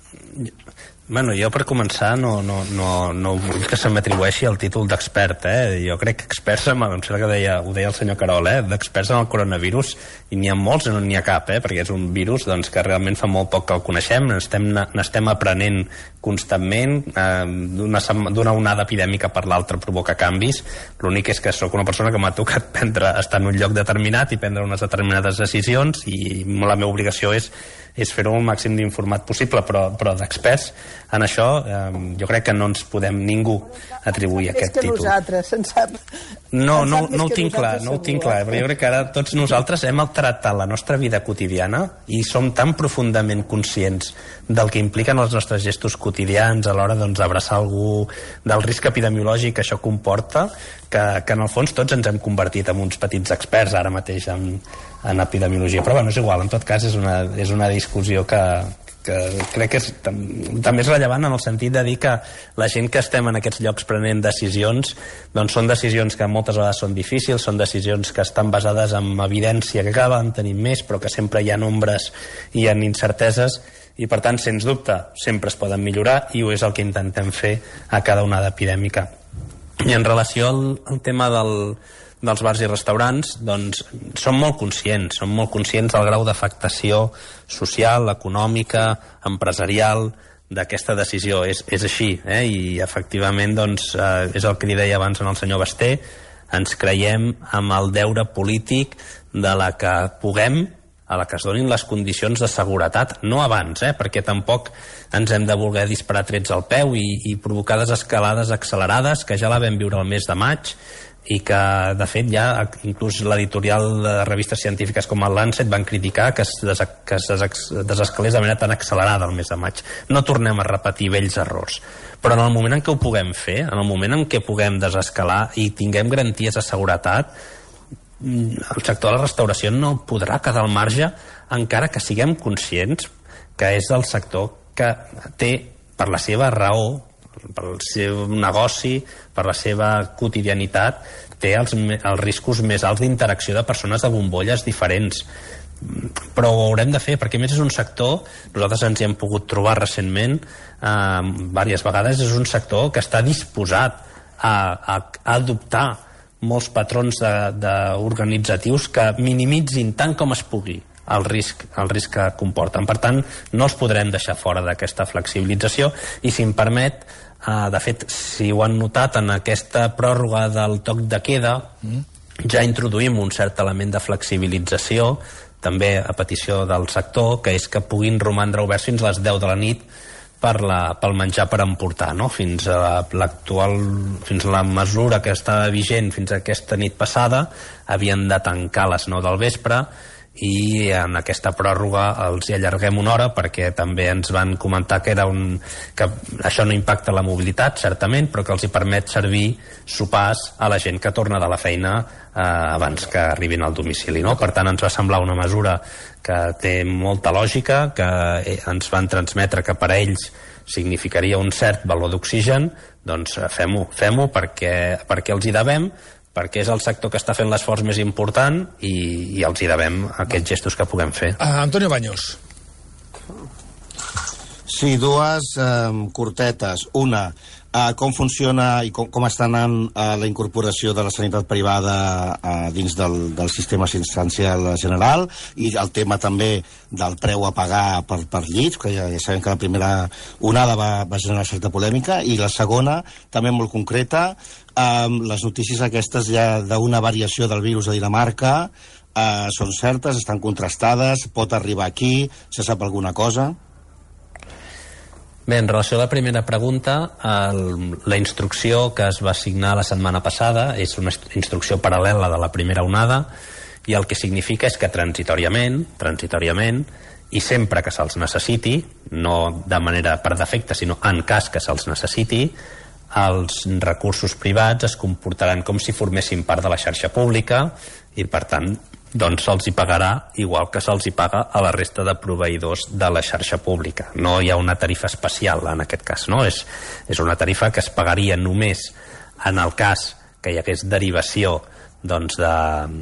Bueno, jo per començar no, no, no, no vull que se m'atribueixi el títol d'expert, eh? Jo crec que experts, em sembla que deia, ho deia el senyor Carol, eh? D'experts en el coronavirus, i n'hi ha molts i no n'hi ha cap, eh? Perquè és un virus doncs, que realment fa molt poc que el coneixem, n'estem aprenent constantment, eh, d'una onada epidèmica per l'altra provoca canvis. L'únic és que sóc una persona que m'ha tocat prendre, estar en un lloc determinat i prendre unes determinades decisions, i la meva obligació és és fer-ho el màxim d'informat possible, però, però d'experts en això eh, jo crec que no ens podem ningú atribuir aquest títol. És que nosaltres, se'n sap. No, no, no ho tinc clar, no ho tinc clar, però jo crec que ara tots nosaltres hem tractat la nostra vida quotidiana i som tan profundament conscients del que impliquen els nostres gestos quotidians a l'hora doncs, d'abraçar algú, del risc epidemiològic que això comporta, que, que en el fons tots ens hem convertit en uns petits experts ara mateix en, en epidemiologia. Però bueno, és igual, en tot cas és una, és una discussió que, que crec que és, també és rellevant en el sentit de dir que la gent que estem en aquests llocs prenent decisions doncs són decisions que moltes vegades són difícils, són decisions que estan basades en evidència que cada vegada en tenim més, però que sempre hi ha ombres i hi ha incerteses, i per tant, sens dubte, sempre es poden millorar, i ho és el que intentem fer a cada onada epidèmica. I en relació al, al tema del, dels bars i restaurants, doncs som molt conscients, som molt conscients del grau d'afectació social, econòmica, empresarial d'aquesta decisió. És, és així, eh? I efectivament doncs, eh, és el que li deia abans en el senyor Basté, ens creiem amb el deure polític de la que puguem, a la que es donin les condicions de seguretat, no abans, eh? Perquè tampoc ens hem de voler disparar trets al peu i, i provocar desescalades accelerades, que ja la vam viure el mes de maig, i que, de fet, ja inclús l'editorial de revistes científiques com el Lancet van criticar que es, des, que es des, desescalés de manera tan accelerada el mes de maig. No tornem a repetir vells errors. Però en el moment en què ho puguem fer, en el moment en què puguem desescalar i tinguem garanties de seguretat, el sector de la restauració no podrà quedar al marge, encara que siguem conscients que és el sector que té, per la seva raó, per el seu negoci, per la seva quotidianitat, té els, els riscos més alts d'interacció de persones de bombolles diferents. Però ho haurem de fer, perquè a més és un sector, nosaltres ens hi hem pogut trobar recentment eh, diverses vegades, és un sector que està disposat a, a, a adoptar molts patrons de, de organitzatius que minimitzin tant com es pugui el risc, el risc que comporten. Per tant, no els podrem deixar fora d'aquesta flexibilització, i si em permet, eh, de fet, si ho han notat en aquesta pròrroga del toc de queda, mm. ja introduïm un cert element de flexibilització, també a petició del sector, que és que puguin romandre oberts fins a les deu de la nit per la, pel menjar per emportar, no? Fins a l'actual, fins a la mesura que està vigent fins a aquesta nit passada, havien de tancar a les nou del vespre, i en aquesta pròrroga els hi allarguem una hora, perquè també ens van comentar que era un, que això no impacta la mobilitat, certament, però que els hi permet servir sopars a la gent que torna de la feina eh, abans que arribin al domicili, no? Per tant, ens va semblar una mesura que té molta lògica, que ens van transmetre que per a ells significaria un cert valor d'oxigen. Doncs fem-ho, fem-ho perquè, perquè els hi devem, perquè és el sector que està fent l'esforç més important, i, i els hi devem aquests gestos que puguem fer. Uh, Antonio Baños. Sí, dues eh, cortetes. Una, eh, com funciona i com, com està anant eh, la incorporació de la sanitat privada eh, dins del, del sistema assistencial general, i el tema també del preu a pagar per, per llits, que ja, ja sabem que la primera onada va, va generar certa polèmica, i la segona, també molt concreta, eh, les notícies aquestes ja d'una variació del virus a Dinamarca, eh, són certes, estan contrastades, pot arribar aquí, se sap alguna cosa? Bé, en relació a la primera pregunta, el, la instrucció que es va signar la setmana passada és una instrucció paral·lela de la primera onada, i el que significa és que transitòriament, transitòriament, i sempre que se'ls necessiti, no de manera per defecte, sinó en cas que se'ls necessiti, els recursos privats es comportaran com si formessin part de la xarxa pública i, per tant, doncs se'ls hi pagarà igual que se'ls hi paga a la resta de proveïdors de la xarxa pública. No hi ha una tarifa especial en aquest cas, no? És, és una tarifa que es pagaria només en el cas que hi hagués derivació doncs, de,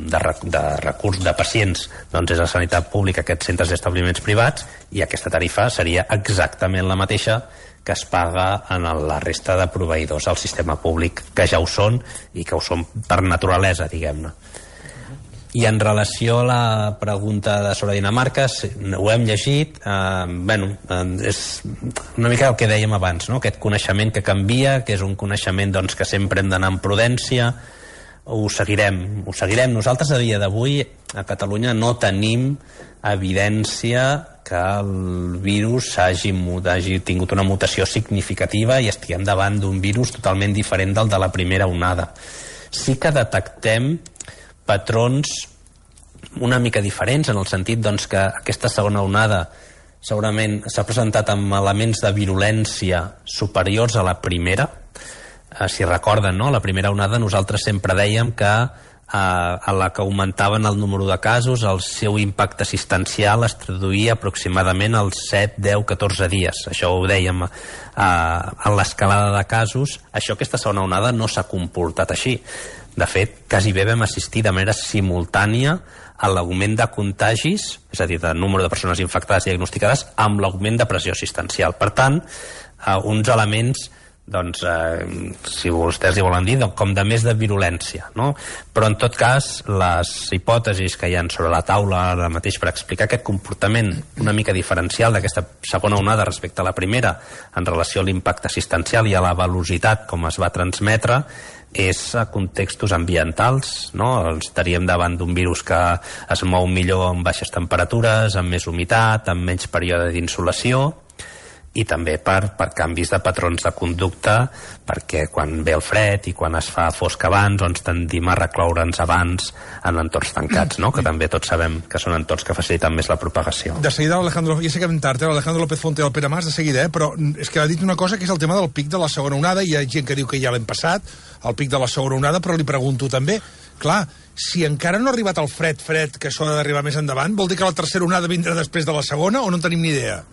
de, de recurs de pacients, doncs és la sanitat pública, aquests centres i establiments privats, i aquesta tarifa seria exactament la mateixa que es paga en la resta de proveïdors al sistema públic, que ja ho són i que ho són per naturalesa, diguem-ne. I en relació a la pregunta de sobre Dinamarca, ho hem llegit, eh, bueno, és una mica el que dèiem abans, no? Aquest coneixement que canvia, que és un coneixement doncs, que sempre hem d'anar amb prudència, ho seguirem, ho seguirem. Nosaltres a dia d'avui a Catalunya no tenim evidència que el virus hagi, hagi tingut una mutació significativa i estiguem davant d'un virus totalment diferent del de la primera onada. Sí que detectem patrons una mica diferents, en el sentit doncs, que aquesta segona onada segurament s'ha presentat amb elements de virulència superiors a la primera. Eh, si recorden, no? La primera onada nosaltres sempre dèiem que eh, a la que augmentaven el número de casos, el seu impacte assistencial es traduïa aproximadament als set, deu, catorze dies. Això ho dèiem eh, en l'escalada de casos. Això, aquesta segona onada, no s'ha comportat així. De fet, quasi bé vam assistir de manera simultània a l'augment de contagis, és a dir, de número de persones infectades i diagnosticades, amb l'augment de pressió assistencial. Per tant, eh, uns elements, doncs, eh, si vostès hi volen dir, com de més de virulència, no? Però, en tot cas, les hipòtesis que hi ha sobre la taula ara mateix per explicar aquest comportament una mica diferencial d'aquesta segona onada respecte a la primera en relació a l'impacte assistencial i a la velocitat com es va transmetre, és a contextos ambientals, no? Estaríem davant d'un virus que es mou millor amb baixes temperatures, amb més humitat, amb menys període d'insolació, i també per, per canvis de patrons de conducta, perquè quan ve el fred i quan es fa fosc abans, doncs tendim a recloure'ns abans en entorns tancats, no? Que també tots sabem que són entorns que faciliten més la propagació. De seguida, l'Alejandro, ja sé que vam tard, eh? l'Alejandro López Fonte i el Pere Mas, de seguida, eh? Però és que ha dit una cosa que és el tema del pic de la segona onada, i hi ha gent que diu que ja l'hem passat, el pic de la segona onada, però li pregunto també, clar, si encara no ha arribat el fred, fred, que això ha d'arribar més endavant, vol dir que la tercera onada vindrà després de la segona o no en tenim ni idea?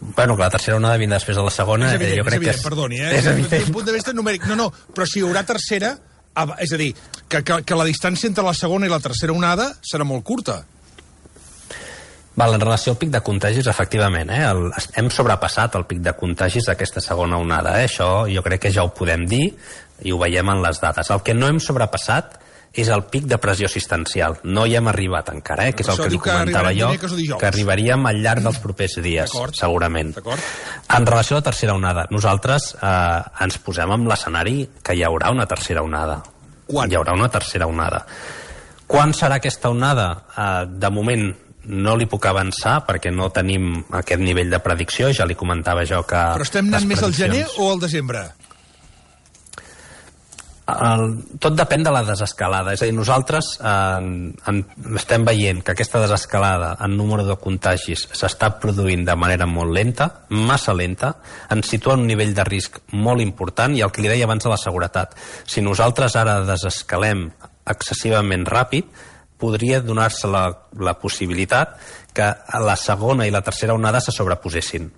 Bueno, que la tercera onada vindrà després de la segona, és evident, jo crec és evident, que és... perdoni, eh? És evident. Des d'un punt de vista numèric, no, no, però si hi haurà tercera, és a dir, que, que, que la distància entre la segona i la tercera onada serà molt curta. Val, en relació al pic de contagis, efectivament, eh? El, hem sobrepassat el pic de contagis d'aquesta segona onada, eh? Això jo crec que ja ho podem dir i ho veiem en les dades. El que no hem sobrepassat és el pic de pressió assistencial. No hi hem arribat encara, eh? Que és el que li comentava jo, que arribaríem al llarg dels propers dies, segurament. En relació a la tercera onada, nosaltres eh, ens posem en l'escenari que hi haurà una tercera onada. Quan? Hi haurà una tercera onada. Quan serà aquesta onada? Eh, de moment no li puc avançar perquè no tenim aquest nivell de predicció, ja li comentava jo que... Però estem anant més al gener o al desembre? El, tot depèn de la desescalada, és a dir, nosaltres eh, en, estem veient que aquesta desescalada en número de contagis s'està produint de manera molt lenta, massa lenta, ens situa en un nivell de risc molt important, i el que li deia abans de la seguretat, si nosaltres ara desescalem excessivament ràpid, podria donar-se la, la possibilitat que la segona i la tercera onada se sobreposessin,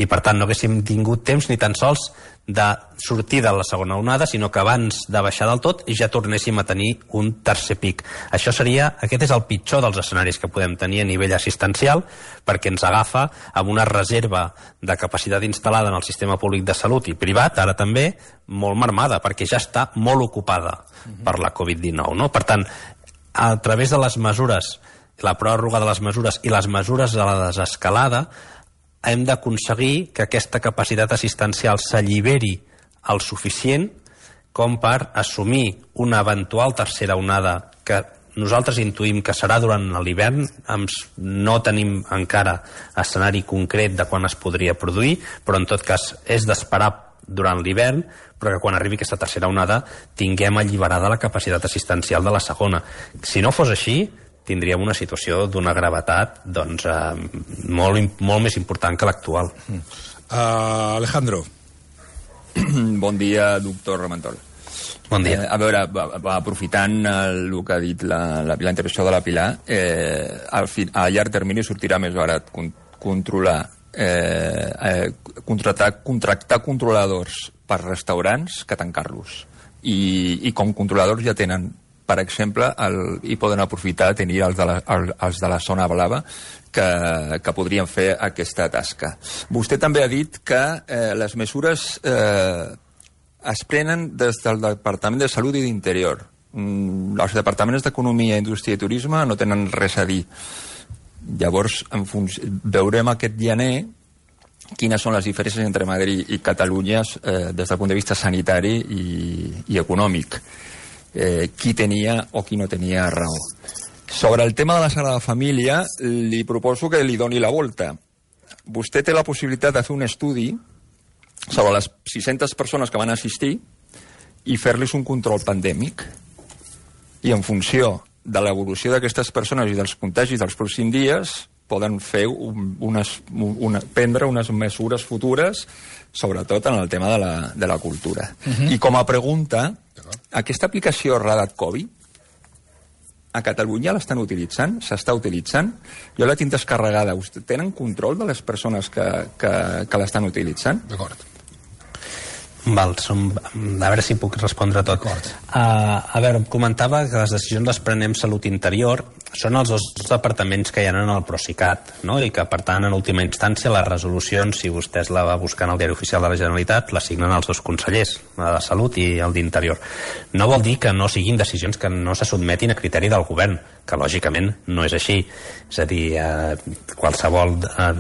i per tant no haguéssim tingut temps ni tan sols de sortir de la segona onada, sinó que abans de baixar del tot ja tornéssim a tenir un tercer pic. Això seria, aquest és el pitjor dels escenaris que podem tenir a nivell assistencial, perquè ens agafa amb una reserva de capacitat instal·lada en el sistema públic de salut i privat, ara també, molt marmada, perquè ja està molt ocupada per la covid dinou, no? Per tant, a través de les mesures, la pròrroga de les mesures i les mesures de la desescalada, hem d'aconseguir que aquesta capacitat assistencial s'alliberi el suficient, com per assumir una eventual tercera onada que nosaltres intuïm que serà durant l'hivern. No tenim encara escenari concret de quan es podria produir, però en tot cas és d'esperar durant l'hivern, però que quan arribi aquesta tercera onada tinguem alliberada la capacitat assistencial de la segona. Si no fos així, tindríem una situació d'una gravetat doncs, eh, molt, molt més important que l'actual. Uh, Alejandro. Bon dia, doctor Ramentol. Bon dia. Eh, a veure, aprofitant el, el que ha dit la, la, la intervenció de la Pilar, eh, al fi, a llarg termini sortirà més barat con, controlar, eh, eh, contractar, contractar controladors per restaurants que tancar-los. I, I com controladors ja tenen, per exemple, el, i poden aprofitar tenir els de la, el, els de la zona blava que, que podrien fer aquesta tasca. Vostè també ha dit que eh, les mesures eh, es prenen des del Departament de Salut i d'Interior. Mm, els departaments d'Economia, Indústria i Turisme no tenen res a dir. Llavors, en veurem aquest gener quines són les diferències entre Madrid i Catalunya eh, des del punt de vista sanitari i, i econòmic. Eh, qui tenia o qui no tenia raó. Sobre el tema de la Sagrada Família, li proposo que li doni la volta. Vostè té la possibilitat de fer un estudi sobre les sis-centes persones que van assistir i fer-los un control pandèmic. I en funció de l'evolució d'aquestes persones i dels contagis dels pròxims dies poden fer un, unes, una, prendre unes mesures futures, sobretot en el tema de la, de la cultura. Uh-huh. I com a pregunta, aquesta aplicació Radar Covid a Catalunya l'estan utilitzant? S'està utilitzant? Jo la tinc descarregada. Tenen control de les persones que, que, que l'estan utilitzant? D'acord. Val, som, a veure si puc respondre tot. Uh, a veure, comentava que les decisions les prenem Salut Interior, són els dos departaments que hi ha en el Procicat, no? I que, per tant, en última instància, les resolucions, si vostès la va buscar en el Diari Oficial de la Generalitat, les signen els dos consellers, la de Salut i el d'Interior. No vol dir que no siguin decisions que no se sotmetin a criteri del govern, que lògicament no és així. És a dir, eh, qualsevol eh,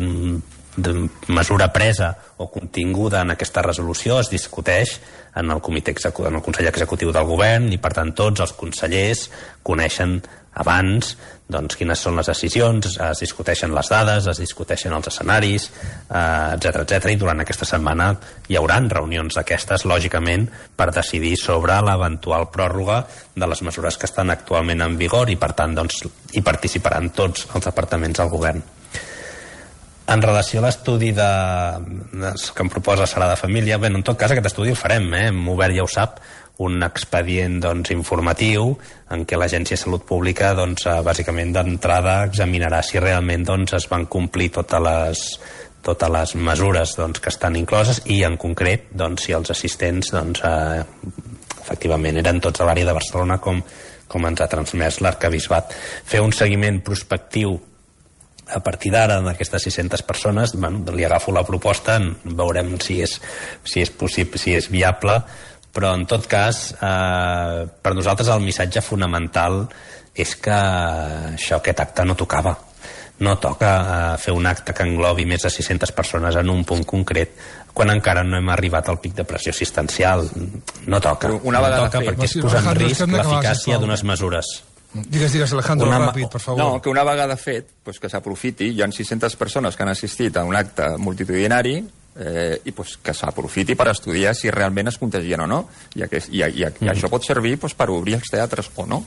de mesura presa o continguda en aquesta resolució es discuteix en el comitè executiu, en el Consell Executiu del Govern, i per tant tots els consellers coneixen abans doncs, quines són les decisions, es discuteixen les dades, es discuteixen els escenaris, eh, etcètera, etcètera, i durant aquesta setmana hi hauran reunions d'aquestes, lògicament, per decidir sobre l'eventual pròrroga de les mesures que estan actualment en vigor, i per tant doncs, hi participaran tots els departaments del Govern. En relació a l'estudi de, de, que em proposa Sagrada Família, bé, en tot cas aquest estudi el farem, eh? Hem obert, ja ho sap, un expedient doncs, informatiu en què l'Agència de Salut Pública doncs, bàsicament d'entrada examinarà si realment doncs, es van complir totes les, totes les mesures doncs, que estan incloses, i en concret doncs, si els assistents doncs, eh, efectivament eren tots a l'àrea de Barcelona com, com ens ha transmès l'Arquebisbat. Fer un seguiment prospectiu a partir d'ara d'aquestes sis-centes persones, bueno, li agafo la proposta, veurem si és, si és possible, si és viable, però en tot cas eh, per nosaltres el missatge fonamental és que això, aquest acte no tocava. No toca eh, fer un acte que englobi més de sis-centes persones en un punt concret quan encara no hem arribat al pic de pressió assistencial. No toca, una no toca perquè es posa en risc l'eficàcia d'unes mesures. Digues, digues, Alejandro, una, ràpid, per favor. No, que una vegada fet, pues, que s'aprofiti. Hi ha sis-centes persones que han assistit a un acte multitudinari eh, i pues, que s'aprofiti per estudiar si realment es contagien o no. I, aquest, i, i, i mm. això pot servir pues, per obrir els teatres o no.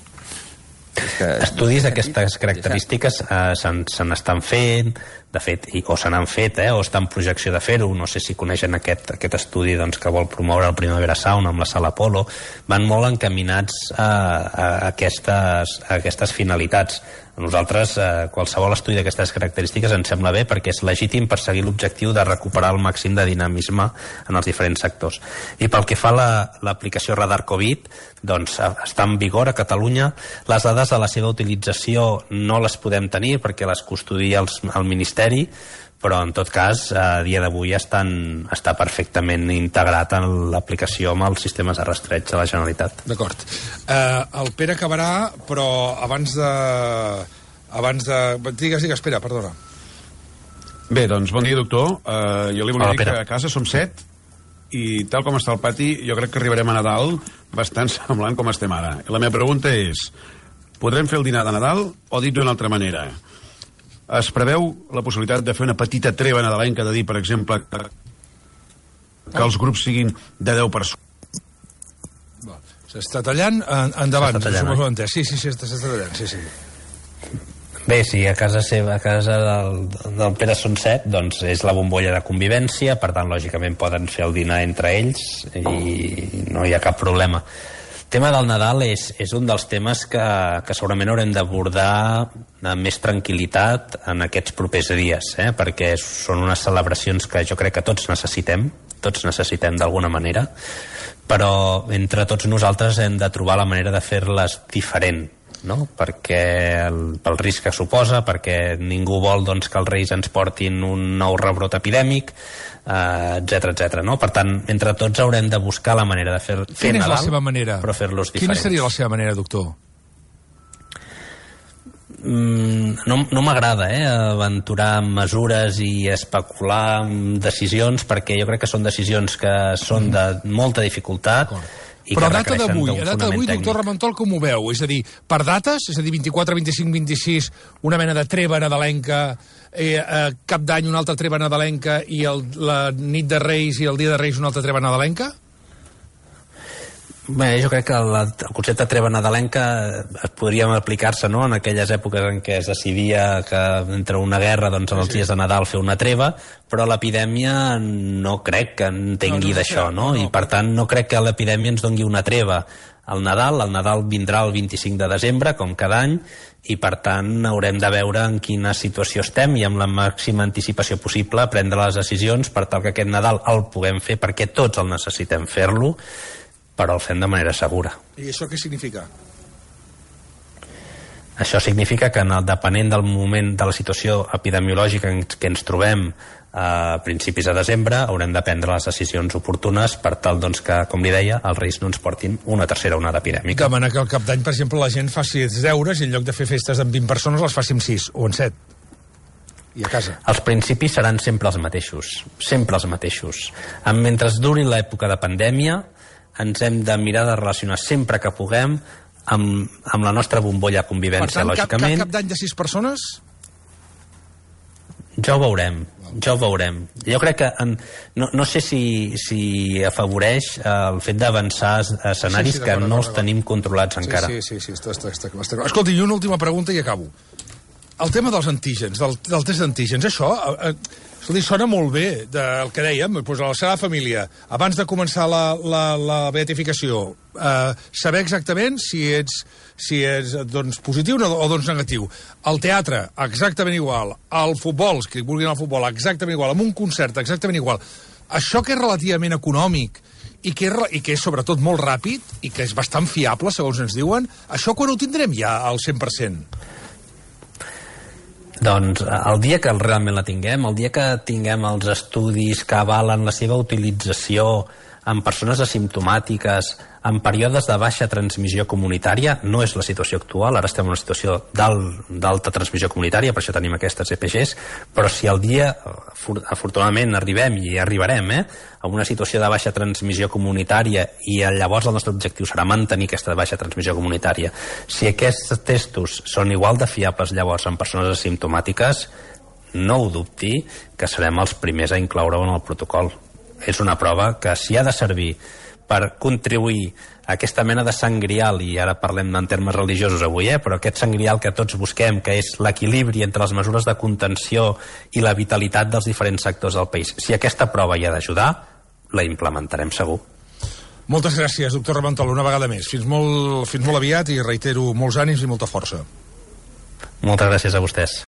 Que, estudis d'aquestes característiques eh, se n'estan fent, de fet, i, o se n'han fet, eh, o està en projecció de fer-ho. No sé si coneixen aquest, aquest estudi doncs, que vol promoure el Primavera Sound amb la Sala Apolo. Van molt encaminats a, a, aquestes, a aquestes finalitats. A nosaltres eh, qualsevol estudi d'aquestes característiques ens sembla bé perquè és legítim perseguir l'objectiu de recuperar el màxim de dinamisme en els diferents sectors. I pel que fa a l'aplicació la, Radar Covid, doncs està en vigor a Catalunya. Les dades de la seva utilització no les podem tenir perquè les custodia els, el Ministeri, però en tot cas a dia d'avui estan, està perfectament integrat en l'aplicació amb els sistemes de rastreig de la Generalitat. D'acord. Eh, el Pere acabarà, però abans de... abans de... Digues, digues, espera, perdona. Bé, doncs bon dia, doctor. Uh, jo li volia dir que a casa som set i tal com està el pati, jo crec que arribarem a Nadal bastant semblant com estem ara. I la meva pregunta és, podrem fer el dinar de Nadal o dit d'una altra manera? Es preveu la possibilitat de fer una petita treva nadalenca, de dir, per exemple, que, que els grups siguin de deu persones? S'està tallant, endavant. S'està tallant, eh? Sí, sí, sí, s'està tallant, sí, sí. Bé, si a casa seva, a casa del, del Pere són set, doncs és la bombolla de convivència, per tant, lògicament poden fer el dinar entre ells i no hi ha cap problema. El tema del Nadal és, és un dels temes que, que segurament haurem d'abordar amb més tranquil·litat en aquests propers dies, eh? Perquè són unes celebracions que jo crec que tots necessitem, tots necessitem d'alguna manera, però entre tots nosaltres hem de trobar la manera de fer-les diferent, no? Perquè el, pel risc que suposa, perquè ningú vol doncs, que els Reis ens portin un nou rebrot epidèmic, etcètera, etcètera, no? Per tant, entre tots haurem de buscar la manera de fer, fer Quina Nadal, és la seva manera? Però fer-los diferents. Quina seria la seva manera, doctor? Mm, no no m'agrada eh, aventurar amb mesures i especular amb decisions, perquè jo crec que són decisions que són de molta dificultat. I però a data d'avui, a data d'avui, doctor Ramentol, com ho veu? És a dir, per dates, és a dir, vint-i-quatre, vint-i-cinc, vint-i-sis, una mena de treva nadalenca, eh, eh, cap d'any una altra treva nadalenca i el, la nit de Reis i el dia de Reis una altra treva nadalenca? Bé, jo crec que el, el concepte de treva nadalenca podríem aplicar-se, no?, en aquelles èpoques en què es decidia que entre una guerra, doncs en els dies de Nadal fer una treva, però l'epidèmia no crec que entengui no, no, d'això, no? no? I per tant no crec que l'epidèmia ens doni una treva al Nadal. El Nadal vindrà el vint-i-cinc de desembre, com cada any, i per tant haurem de veure en quina situació estem i amb la màxima anticipació possible prendre les decisions per tal que aquest Nadal el puguem fer, perquè tots el necessitem fer-lo, però el fem de manera segura. I això què significa? Això significa que, depenent del moment de la situació epidemiològica en què ens trobem a principis de desembre, haurem de prendre les decisions oportunes per tal doncs, que, com li deia, els Reis no ens portin una tercera onada epidèmica. Demanar que al cap d'any, per exemple, la gent faci els deures i en lloc de fer festes amb vint persones les faci amb sis o amb set. I a casa. Els principis seran sempre els mateixos. Sempre els mateixos. Mentre duri l'època de pandèmia, ens hem de mirar de relacionar sempre que puguem amb, amb la nostra bombolla de convivència, per tant, lògicament. Cap, cap d'any de sis persones? Ja ho veurem, ja ho veurem. Jo crec que, en, no, no sé si, si afavoreix el fet d'avançar escenaris sí, sí, que no els tenim controlats sí, encara. Sí, sí, sí, està, està, està, està. Escolti, i una última pregunta i acabo. El tema dels antígens, del, del test d'antígens, això... Eh, Escolti, sona molt bé, del que dèiem, doncs a la seva família, abans de començar la, la, la beatificació, eh, saber exactament si ets, si ets doncs, positiu o, o doncs negatiu. Al teatre, exactament igual. Al futbol, els que vulguin al futbol, exactament igual. Amb un concert, exactament igual. Això que és relativament econòmic i que, és, i que és sobretot molt ràpid i que és bastant fiable, segons ens diuen, això quan ho tindrem ja al cent per cent? Doncs el dia que realment la tinguem, el dia que tinguem els estudis que avalen la seva utilització en persones asimptomàtiques, en períodes de baixa transmissió comunitària, no és la situació actual, ara estem en una situació d'alta transmissió comunitària, per això tenim aquestes E P Gs, però si el dia, afortunadament, arribem, i arribarem, eh, a una situació de baixa transmissió comunitària, i llavors el nostre objectiu serà mantenir aquesta baixa transmissió comunitària, si aquests testos són igual de fiables llavors en persones asimptomàtiques, no ho dubti que serem els primers a incloure-ho en el protocol. És una prova que si ha de servir per contribuir a aquesta mena de sant grial, i ara parlem en termes religiosos avui, eh, però aquest sant grial que tots busquem, que és l'equilibri entre les mesures de contenció i la vitalitat dels diferents sectors del país. Si aquesta prova hi ha d'ajudar, la implementarem segur. Moltes gràcies, doctor Ramentol, una vegada més. Fins molt, fins molt aviat i reitero molts ànims i molta força. Moltes gràcies a vostès.